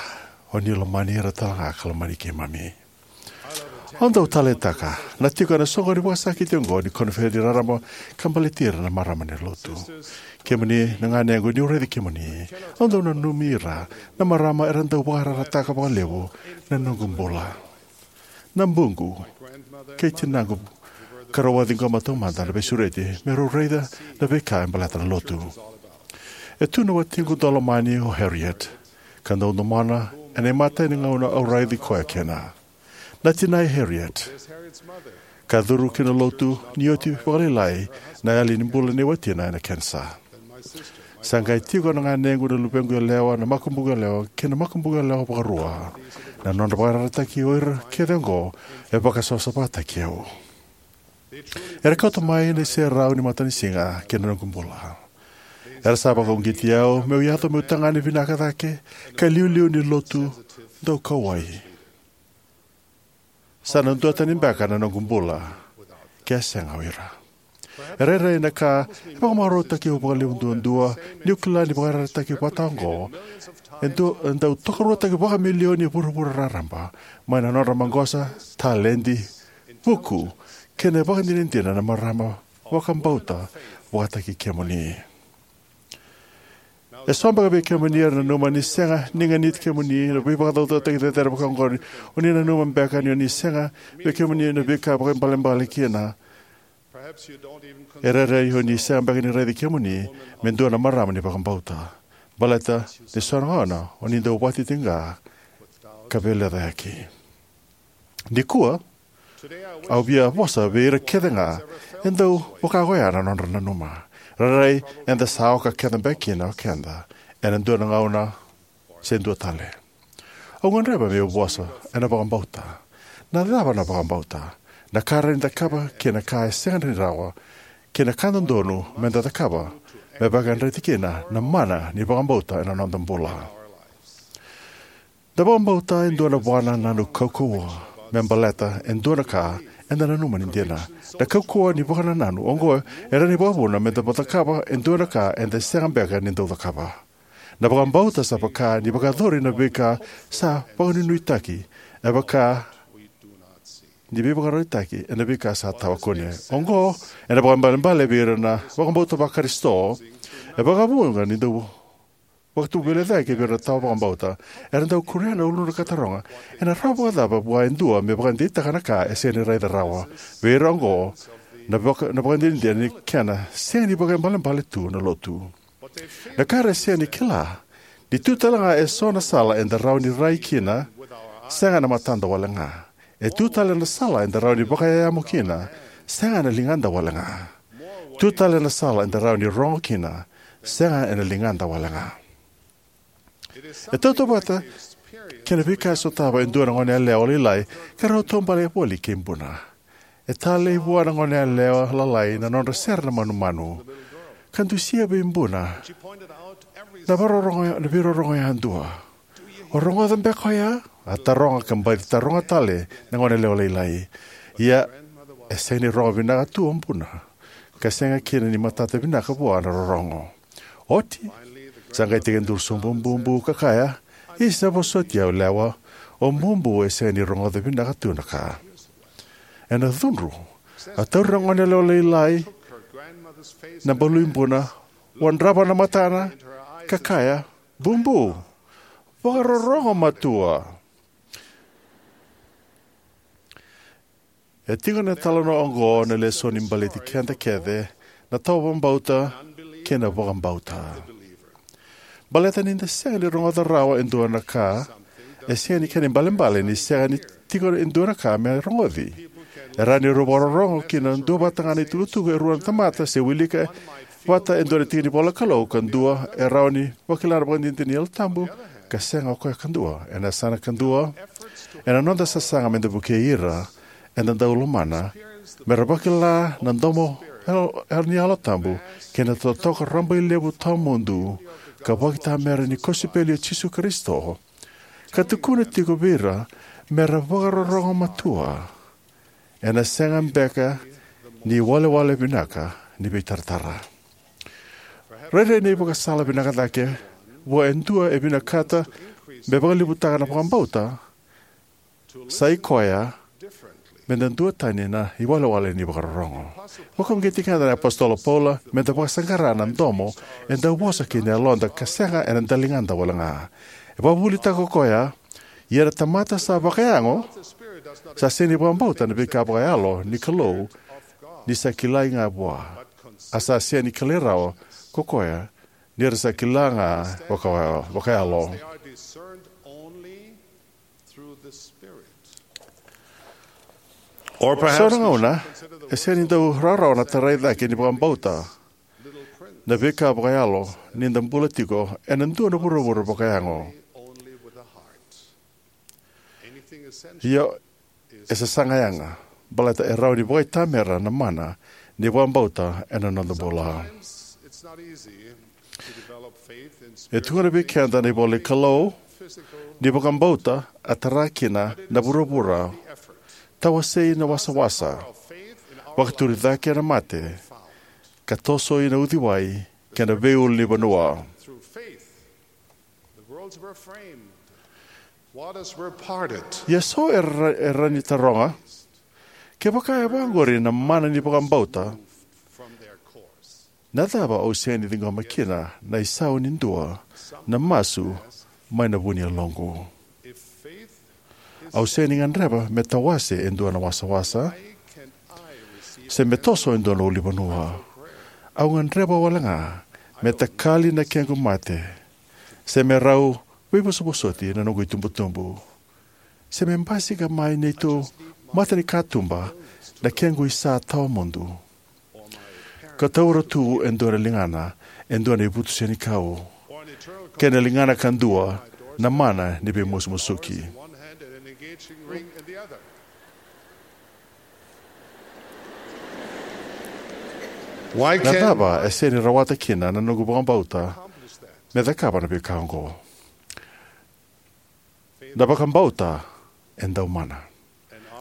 o ni lomani ira tale ga ka lomani keimami. Au dau taleitaka na tiko ena soqoni vakasakiti oqo ni koniferedi raraba ka baleti ira na marama ni lotu. Kemuni na ganequ, niu raici kemuni, au dau nanumi ira na marama era dau vakararataka vakalevu na noqu bula. Na buqu kei tinaqu ka rau a ciqoma taumada na veisureti me rau raica na veika e baleta na lotu. E tu na watiqu daulomani o Harriet, ka dau domona ena imatai ni gauna au raici koya kina. Na tinai Harriet ka curu ki na lotu ni oti vakalailai na yali ni bula nei watina ena kenisa. Sa qai tiko na ganequ, na luvequ yalewa, na makubuqu yalewa kei na makubuqu yalewa vakarua. Na nodra vakararataki o ira kece oqo e vakasavasavataki au. Era kauta mai na iserau ni matanisiga ki na noqu bula. Era sa vakauqeti au meu yaco meu tagane vinaka cake ka iliuliu ni lotu daukauwai. Sa na duatani beka na noqu bula ke a sega o ira. E rairai na ka e vakamarautaki au vakalevu duadua niu kila ni vakaraitaki vata oqo e dau, e dau tokaruataki vakamilioni e vuravura raraba mai na nodra maqosa, taledi, vuku kei na ivakadinadina na marama vakabauta vakataki kemuni. E so beka vei kemuni era nanuma ni sega ni ganiti kemuni na veivakacaucautaki cecere vaka oqori. O ni nanuma beka ni o ni sega vei kemuni na veika vakaibalebale kina. E rairai o ni sega beka ni raici kemuni me dua na marama ni vakabauta, baleta ni so na gauna o ni dau vakatitiqa ka veilecayaki. Nikua au via vosa vei ira kece ga e dau vaka oya na nodra nanuma. Rairai eda sa oka kece beka kina o keda ena dua na gauna se dua tale. Au gadreva meu vosa ena vakabauta. Na cava na vakabauta? Na ka rawa ni cakava kei na ka e sega ni rawa, kei na ka dodonu meda cakava me vakayadrati kina na mana ni vakabauta ena noda bula. Na vakabauta e dua na vakanananu kaukauwa me baleta e dua na ka eda nanuma ni dina. Na kaukauwa ni vakanananu oqo e rawa ni vakavuna meda cakava e dua na ka eda sega beka ni dau cakava. Na vakabauta sa vaka ni vakayacori na veika sa vakanuinuitaki, e vaka ni veivakaraitaki ena veika sa tawa kune. Oqo ena vakaibalebale vei ira na vakabauta vaKarisito. E vakavuqa ni dau vakatubu veilecayaki vei ira na tawa vakabauta. Era dau kuria na uluna ka taroga, ena rawa vakacava vua e dua me vakadeitaka na ka e sega ni raica rawa? Vei ira oqo, na vaka, na vakadinadina ni kena sega ni vakaibalebale tu na lotu. Na ka era sega ni kila ni tu tale ga e so na sala eda rawa ni rai kina sega ena matada wale ga. E tu tale na sala eda rawa ni vakayayamo kina sega ena ligada wale ga. Tu tale na sala eda rawa ni rogo kina sega ena ligada wale ga. E tautauvata kei na veika e sotava e dua na goneyalewa lailai ka rau taubale voli kei buna. E talei vua na goneyalewa lalai na nodra sere na manumanu, ka dusia vei buna na veirorogo yadua. O rogoca beka oya? A taroga ka baci taroga tale na goneyalewa lailai. Ia, e sega ni rogo vinaka tu o buna, ka sega kina ni matata vinaka vua na rorogo. Oti, sa qai tekiduru sobu o bubu ka kaya, "Isa, vosoti au yalewa, o bubu e sega ni rogoca vinaka tu na ka." Ena cudru, a tauri na goneyalewa lailai na balui buna, wadrava na matana, ka kaya, "Bubu, vakarorogo matua." E tiko na italanoa oqo na lesoni baleti keda kece na tawa vakabauta kei na vakabauta. Baleta ni da sega ni rogoca rawa e dua na ka, e sega ni kena ibalebale ni sega ni tiko e dua na ka me rogoci. E rawa ni rau vakarorogo ki na duavata ga na itukutuku e rua na tamata se wilika vata e dua na tiki ni ivola Kalou, ka dua e rawa ni vakila na vakadinadina ni Yalo Tabu, ka sega o koya kadua. Ena yasana kadua, ena noda sasaga me da vukei ira eda dau lomana me ra vakila na domo ni Yalo Tabu kei na totoka rabailevu tawamudu ka vakaitamera ni kosipeli i Jisu Karisito, ka tukuna tiko vei ira me ra vakarorogo matua, ena sega beka ni iwalewale vinaka ni veitaratara. Rairai na ivakasala vinaka cake vua e dua e vinakata me vakalevutaka na vakabauta sai koya me da duatani na iwalewale ni vakarorogo. Vakauqeti keda na iApositolo o Paula me da vakasaqara na domo e dau vosa kina yaloda ka sega ena daligada walega. E vakavuvulitaka o koya, "Ia na tamata sa vakayago sa sega ni vakabauta na veika vakayalo ni Kalou, ni sa kilai ga vua, a sa sega ni kilai rawa ko koya, ni ra sa kila ga vakayalo." Or perhaps so na gauna e sega ni dau rawarawa na tarai cake ni vakabauta na veika vakayalo ni da bula tiko ena dua na vuravura vakayago. Ia, e sasaga yaga, baleta e rawa ni vakaitamera na mana ni vakabauta ena noda bula. E tukuna vei keda na ivola ni Kalou ni vakabauta a tara kina na vuravura, tawasei na wasawasa, vakaturi cake na mate, ka tosoi na uciwai kei na veiulunivanua. Ia so era, era ni taroga, kevaka e vaqori na mana ni vakabauta, na cava au sega ni ciqoma kina na isau ni dua na masu mai na vu ni yaloqu? Au sega ni gadreva me tawase e dua na wasawasa, se me toso e dua na ulunivanua. Au gadreva walega me takali na kequ mate, se me rau veivosovosoti na noqu itubutubu, se me basika mai neitou matanikatuba na kequ isa tawamudu, ka taura tu e dua na ligana e dua na ivutu senikau, kei na ligana kadua na mana ni veimusumusuki. Na cava e sega ni rawata kina na noqu vakabauta me cakava na veika oqo? Na vakabauta e dau mana,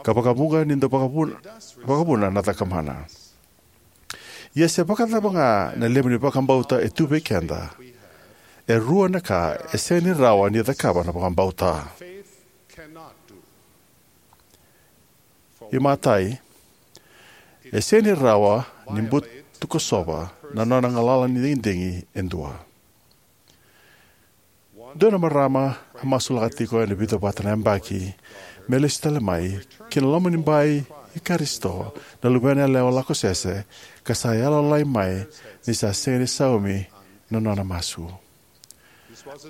ka vakavuqa ni dau vakavuna, vakavuna na cakamana. Ia se vakacava ga na levu ni vakabauta e tu vei keda, e rua na ka e sega ni rawa ni cakava na vakabauta. Imatai, e sega ni rawa ni butukosova na nona galala ni digidigi e dua. Dua na marama a masulaka tiko ena vica vata na yabaki me lesu tale mai ki na lomanibai i Karisito na luvena yalewa lako sese, ka sa yalayala mai ni sa sega ni saumi na nona masu.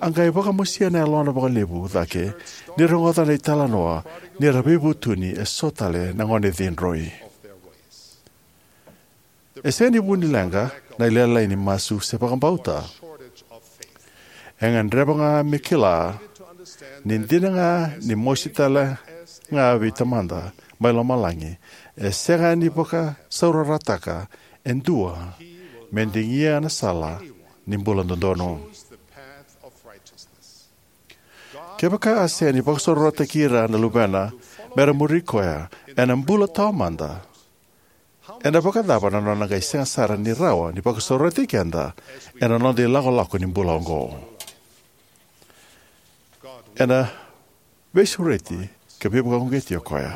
A qai vakamosia na yalona vakalevu cake ni rogoca na italanoa ni ra veivutuni e so tale na gone cidroi. E sega ni vu ni leqa na ilailai ni masu se vakabauta. E gadreva ga me kila ni dina ga ni mosi tale ga vei Tamada mai lomalagi, e sega ni vakasaurarataka e dua me digia na sala ni bula dodonu. Kevaka a sega ni vakasaurarataki ira na Luvena me ra muri Koya ena bula taumada, ena vakacava na Nona qai sega sara ni rawa ni vakasaurarataki keda ena noda ilakolako ni bula oqo? Ena veisureti ka veivakauqeti o Koya.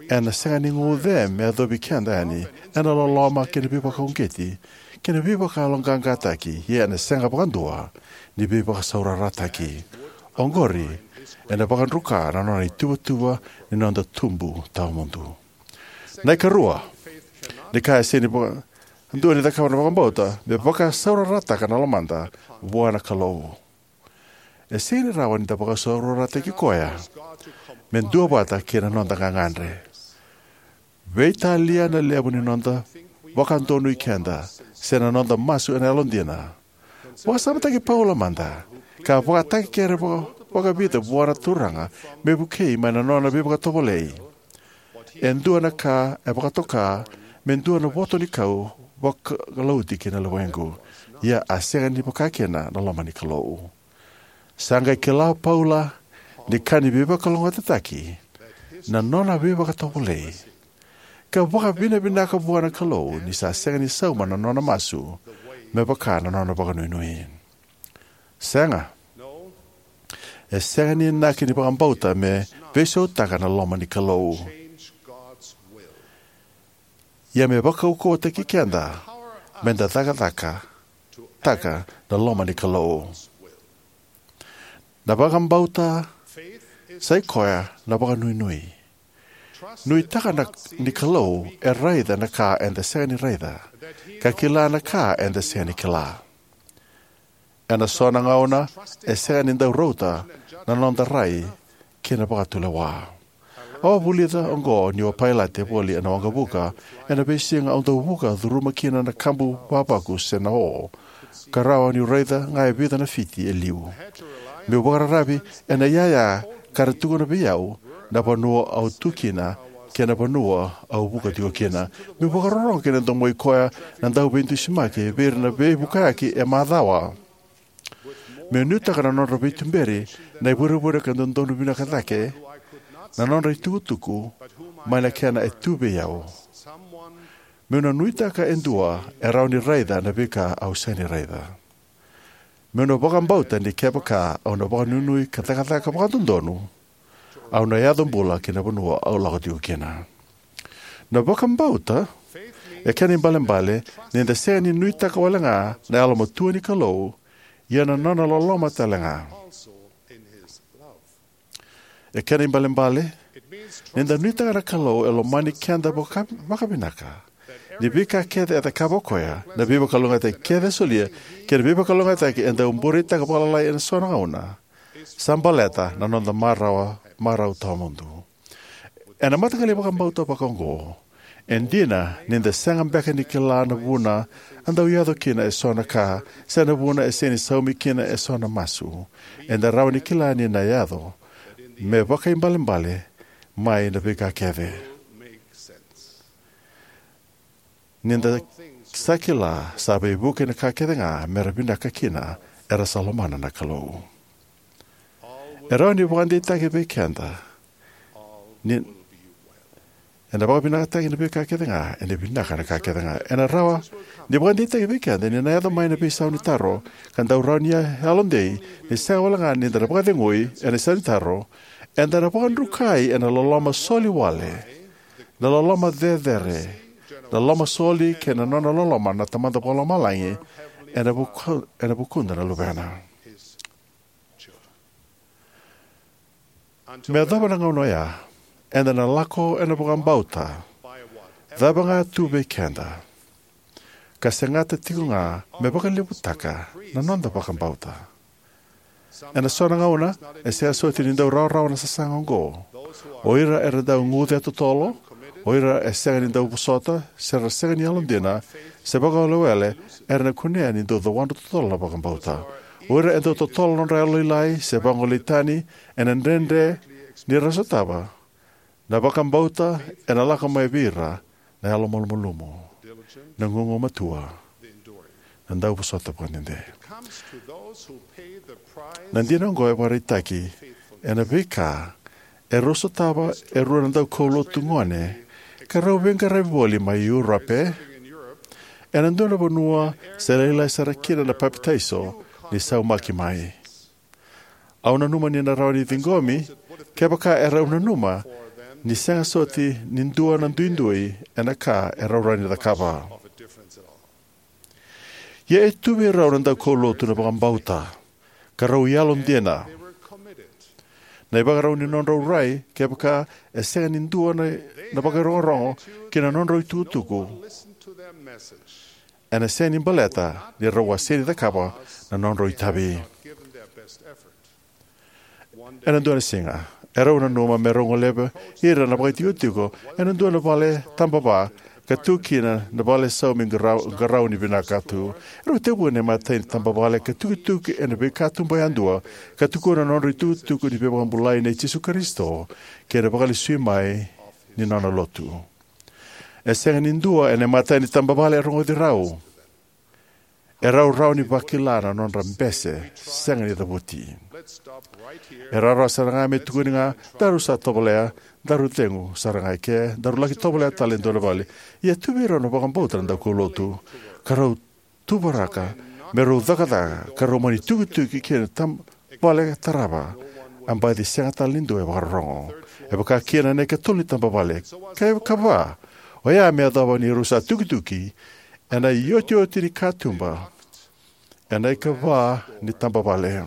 Ena sega ni guce me yacovi keda yani ena loloma kei na veivakauqeti kei na veivakayaloqaqataki, ia ena sega vakadua ni veivakasaurarataki. Oqori ena vakadruka na nona ituvatuva ni noda tubu tawamudu. Na ikarua, ni ka e sega ni vakadua ni cakava na vakabauta me vakasaurarataka na lomada vua na Kalou. E sega ni rawa ni da vakasaurarataki Koya me duavata kei na noda gagadre, veitalia na levu ni noda vakadonui keda, se na noda masu ena yalodina. Vakasamataki Paula mada, ka a vakatakekere vakavica vua na Turaga me vukei mai na nona veivakatovolei. E dua na ka e vakatoka me dua na votonikau vakalauti ki na luvequ, ia a sega ni vakakina na loma ni Kalou. Sa qai kila o Paula ni ka ni veivakalougatataki na nona veivakatovolei, ka vakavinavinaka vua na Kalou ni sa sega ni sauma na nona masu me vaka na nona vakanuinui. Sega, e sega ni inaki ni vakabauta me veisautaka na loma ni Kalou, ia me vakaukauwataki keda me da cakacakataka na loma ni Kalou. Na vakabauta sai koya na vakanuinui. Nuitaka na, ni Kalou e raica na ka eda sega ni raica, ka kila na ka eda sega ni kila. Ena so na gauna e sega ni dau rauta na noda rai kei na vakatulewa. Au a vulica oqo niu a pailate voli ena waqavuka ena veisiga au dau vuka curuma kina na kabu vavaku se na o, ka rawa niu raica ga e vica na fiti e liu. Meu vakararavi ena iyaya ka ra tukuna vei au na vanua au tu kina kei na vanua au vuka tiko kina. Meu vakarorogo ki na domoi koya na dauveidusimaki vei ira na veivukayaki e macawa. Meu nuitaka na nodra veituberi na ivurevure ka dodonu vinaka cake na nodra itukutuku mai na kena e tu vei au. Meu na nuitaka e dua e rawa ni raica na veika au sega ni raica. Meu na vakabauta ni kevaka au na vakanuinui ka cakacaka vakadodonu, au na yaco bula ki na vanua au lako tiko kina. Na vakabauta e kena ibalebale ni da sega ni nuitaka wale ga na yalomatua ni Kalou, ia na nona loloma tale ga. E kena ibalebale ni da nuitaka na Kalou e lomani keda vaka, vakavinaka, ni veika kece e cakava o koya, na veivakalougatataki kece e solia, kei na veivakalougatataki e dau bureitaka vakalailai ena so na gauna, sa baleta na noda marau, marau tawamudu. Ena mataqali vakabauta vakaoqo, e dina ni da sega beka ni kila na vuna a dau yaco kina e so na ka, se na vuna e sega ni saumi kina e so na masu, eda rawa ni kila ni na yaco me vakaibalebale mai na veika kece. Ni da sa kila sa veivuke na ka kece ga me ra vinaka kina era sa lomana na Kalou. E rawa ni vakadeitaki vei keda ni ena vakavinakataki na veika kece ga, ena vinaka na ka kece ga. Ena rawa ni vakadeitaki vei keda ni na yaco mai na veisau ni taro ka dau rawa ni yalodei ni sega wale ga ni da na vakacegui ena isau ni taro, eda na vakadrukai ena loloma soli wale, na loloma cecere, na loloma soli kei na nona loloma na Tamada Vakalomalagi ena vuku, ena vukuda na luvena. Me yacova na gauna oya, eda na lako ena vakabauta cava ga tu vei keda, ka segata tiko ga me vakalevutaka na noda vakabauta. Ena so na gauna e sega soti ni dau rawarawa na sasaga oqo. O ira era dau guce totolo, o ira e sega ni dau vosota, se ra sega ni yalodina, se vakawelewele, era na kunea ni dau cawadru totolo na vakabauta. O ira e dau totolo nodra yalolailai se vagolei tani ena dredre ni ra sotava na vakabauta ena lako mai vei ira na yalomalumalumu, na gugumatua, na dauvosota vakadede. Na dina oqo e vakaraitaki ena veika e rau sotava e rua na daukaulotu gone ka rau veiqaravi voli mai Europe, ena dua na vanua se lailai sara kina na papitaiso ni saumaki mai. Au nanuma ni na rawa ni ciqomi kevaka e rau nanuma ni sega soti ni dua na duidui ena ka e rau rawa ni cakava. Ia e tu vei rau na daukaulotu na vakabauta, ka rau yalodina na ivakarau ni nodrau rai, kevaka e sega ni dua na, na vakairogorogo ki na nodrau itukutuku, ena sega ni baleta ni rau a sega ni cakava na nodrau itavi. Ena dua na siga, e rau nanuma me rau goleva ira na vakaitikotiko ena dua na vale tabava ka tu kina na vale saumi qarau, qarauni vinaka tu. E rau tekivu ena imatai ni tabavale ka tukituki ena veikatuba yadua ka tukuna na nodra itukutuku ni veivakabulai nei Jisu Karisito kei na vakalesui mai ni nona lotu. E sega ni dua ena imatai ni tabavale e rogoci rau. E rau rawa ni vakila na nodra bese sega ni cavuti. E rawarawa sara ga me tukuni ga, daru sa tovolea, daru cegu sara ga eke, daru laki tovolea tale e dua na vale. Ia tu vei rau na vakabauta na daukaulotu, ka rau tuvaraka me rau cakacaka ka rau mani tukituki kina tabavale tarava, a baci sega tale ni dua e vakarorogo. E vaka kina na ikatolu ni tabavale, ka ikava, oya me yacova ni rau sa tukituki ena iotioti ni katuba ena ikava ni tabavale.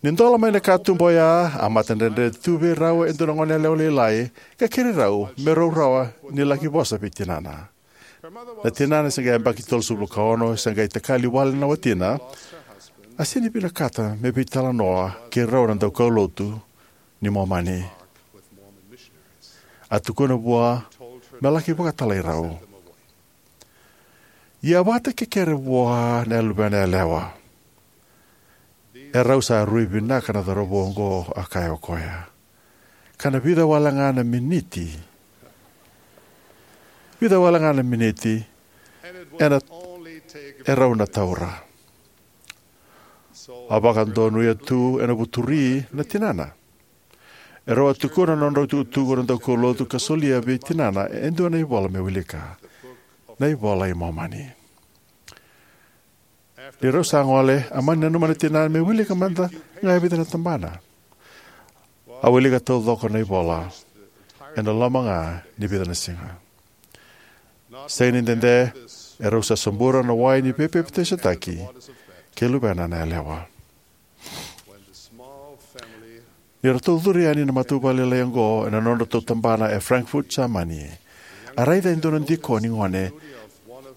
Ni dola mai na katuba oya, a matadredre tu vei rau e dua na goneyalewa lailai ka kerei rau me rau rawa ni laki vosa vei tinana. Na tinana se qai yabaki tolusagavulu ka ono, se qai takali wale na watina, a sega ni vinakata me veitalanoa kei rau na daukaulotu ni Momani. A tukuna vua me laki vakatalai rau. Ia a vakatakekere vua na luvena yalewa. E rau sa rui vinaka na cauravou oqo, a kaya o koya. Ka na vica wale ga na miniti, vica wale ga na miniti ena, e rau na taura. A vakadonuya tu ena vuturi na tinana. E rau a tukuna na nodrau itukutuku na daukaulotu ka solia vei tinana e dua na ivola me wilika, na iVola i Momani. Ni rau sa gole, a mani nanuma na tinana me wilika mada ga e vica na tabana. A wilika taucoko na ivola ena loma ga ni vica na siga. Sega ni dede, e rau sa sobura na wai ni veipapitaisotaki kei luvena na yalewa. Ni ratou curu yani na matavuvale lailai oqo ena nodratou tabana e Frankfurt, Jamani, a raica e dua na dikoni gone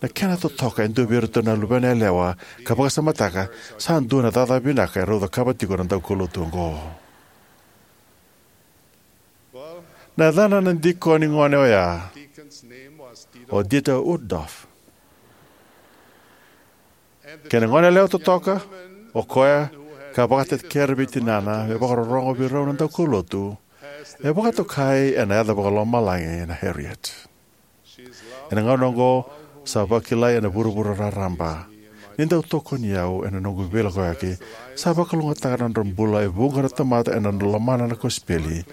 na kena totoka e dua vei iratou na luvena yalewa ka vakasamataka, sa dua na cakacaka vinaka e rau cakava tiko na daukaulotu oqo. Na yacana na dikoni gone oya o Dieter Uchtdorf. Kei na goneyalewa totoka o koya ka vakatakekere vei tinana me vakarorogo vei rau na daukaulotu, e vakatokai ena yaca vakalomalagi na Harriet. Ena gauna oqo sa vakilai ena vuravura raraba. Ni dau tokoni au ena noqu veilakoyaki, sa vakalougatataka na nodra bula e vuqa na tamata ena nodra lomana na kosipeli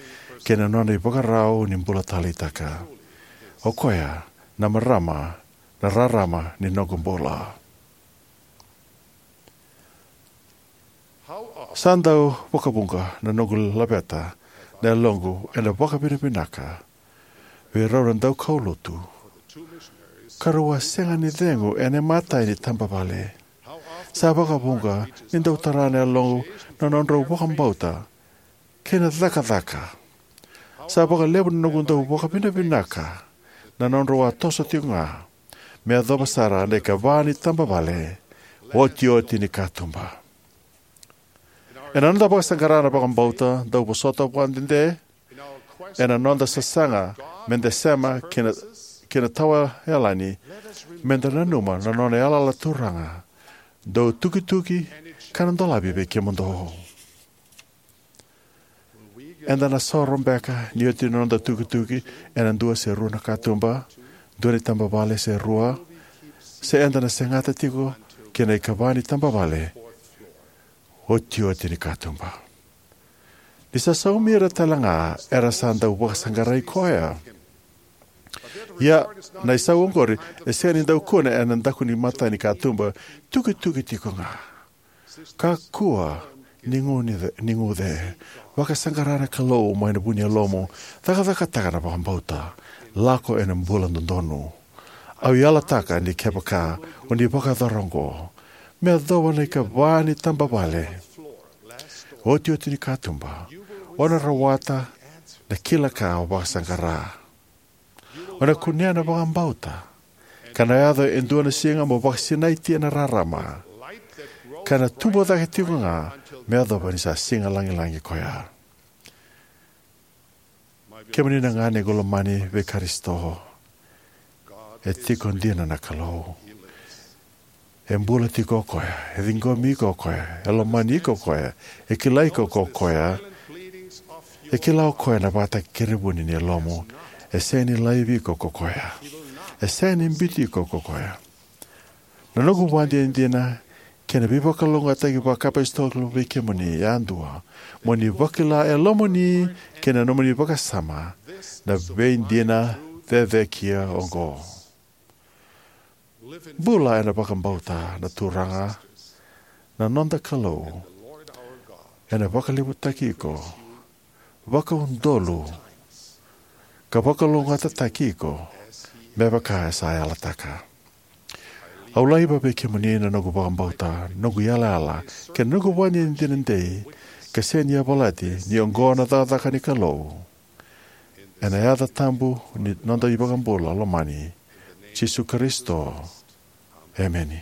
kei na nona ivakarau ni bula taleitaka. O koya na marama, na rarama ni noqu bula. Sa dau vakavuqa na noqu laveta na yaloqu ena vakavinavinaka vei rau na daukaulotu ka rau a sega ni cegu ena imatai ni tabavale. Sa vakavuqa ni dau tara na yaloqu na nodrau vakabauta kei na cakacaka. Sa vakalevu na noqu dau vakavinavinaka na nodrau a toso tiko ga me yacova sara na ikava ni tabavale, otioti ni katuba. Ena noda vakasaqara na vakabauta, dau vosota vakadede, ena noda sasaga meda sema ki na, ki na tawayalani, meda nanuma na nona yalayala Turaga dau tukituki ka na dolavi vei kemudou. Eda na soro beka ni oti na noda tukituki ena dua se rua na katuba, dua na itabavale se rua, se eda na segata tiko ki na ikava ni tabavale otioti ni katuba. Ni sa saumi ira tale ga era sa dau vakasaqarai koya. Ia, na isau oqori e sega ni dau kune ena daku ni mata ni katuba, tukituki tiko ga. Kakua ni guce, ni guce. Vakasaqara na Kalou mai na vu ni yalomu. Cakacakataka na vakabauta. Lako ena bula dodonu. Au yalataka ni kevaka o ni vakayacora oqo, me yacova na ikava ni tabavale otioti ni katuba, o na rawata na kila ka o vakasaqara. O na kunea na vakabauta, ka na yaco e dua na siga mo vakasinaiti ena rarama, ka na tubu cake tiko ga me yacova ni sa siga lagilagi koya. Kemuni na gone qo lomani vei Karisito, e tiko dina na Kalou. E bula tiko o koya, e ciqomi iko o koya, e lomani iko o koya, e kilai iko o koya, e kila o koya na vakatakerevuni ni yalomu. E sega ni laivi iko o koya, e sega ni biuti iko o koya. Na noqu vakadinadina kei na veivakalougatataki vakaapositolo vei kemuni yadua, mo ni vakila e lomamuni kei na nomuni vakasama na veidina cecekia oqo. Bula ena vakabauta na Turaga na noda Kalou ena vakalevutaki iko vakaudolu ka vakalougatataki iko me vaka e sa yalataka. Au laiva vei kemuni na noqu vakabauta, noqu yalayala kei na noqu vakadinadina dei, ka sega ni yavalati ni oqo na cakacaka ni Kalou. Ena yaca tabu ni noda iVakabula lomani, Jisu Karisito. Emeni.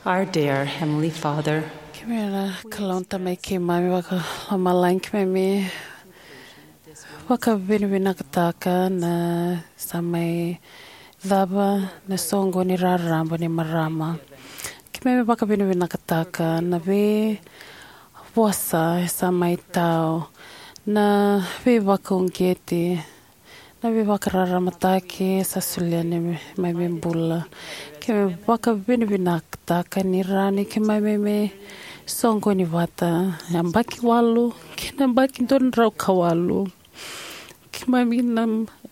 Our dear Heavenly Father, keimami na Kalou na Tamai keimami vakalomalagi, keimami vakavinavinakataka na sa mai cava na soqo ni raraba ni marama. Keimami vakavinavinakataka na veivosa e sa mai tau, na veivakauqeti, na veivakararamataki sa solia ni mai me bula. Keimami vakavinavinakataka ni rawa ni keimami me soqoni vata, yabaki walu kei na yabaki dua na drau ka walu. Keimami na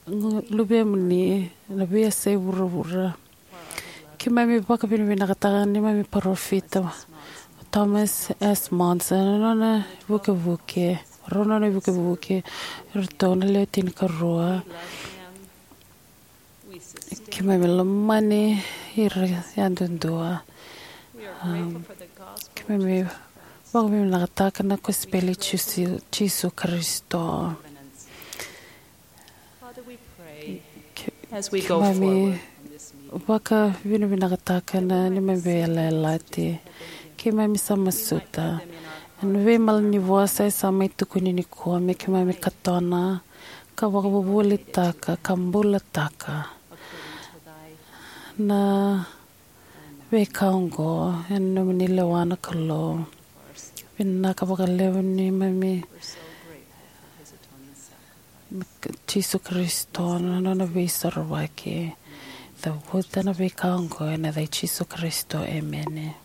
luvemuni na veiyasai vuravura. Keimami vakavinavinakataka ni mami parofita Thomas S. Monson, na nona vukevuke, rau nona vukevuke, ratou na lewe tinikarua. Keimami lomani ira yadudua. Um, keimami vakavinavinakataka na kosipeli Jisu, Jisu Karisito. Ke-, as we go keimami forward, vakavinavinakataka na neimami veiyalayalati. Keimami sa masuta na veimalanivosa e sa mai tukuni nikua me keimami katona ka vakavuvulitaka ka bulataka na veika oqo ena nomuni lewa na Kalou. Vinaka vakalevu ni mami Jisu Karisito na nona veisorovaki. Cavuta na veika oqo ena yaca i Jisu Karisito, emeni.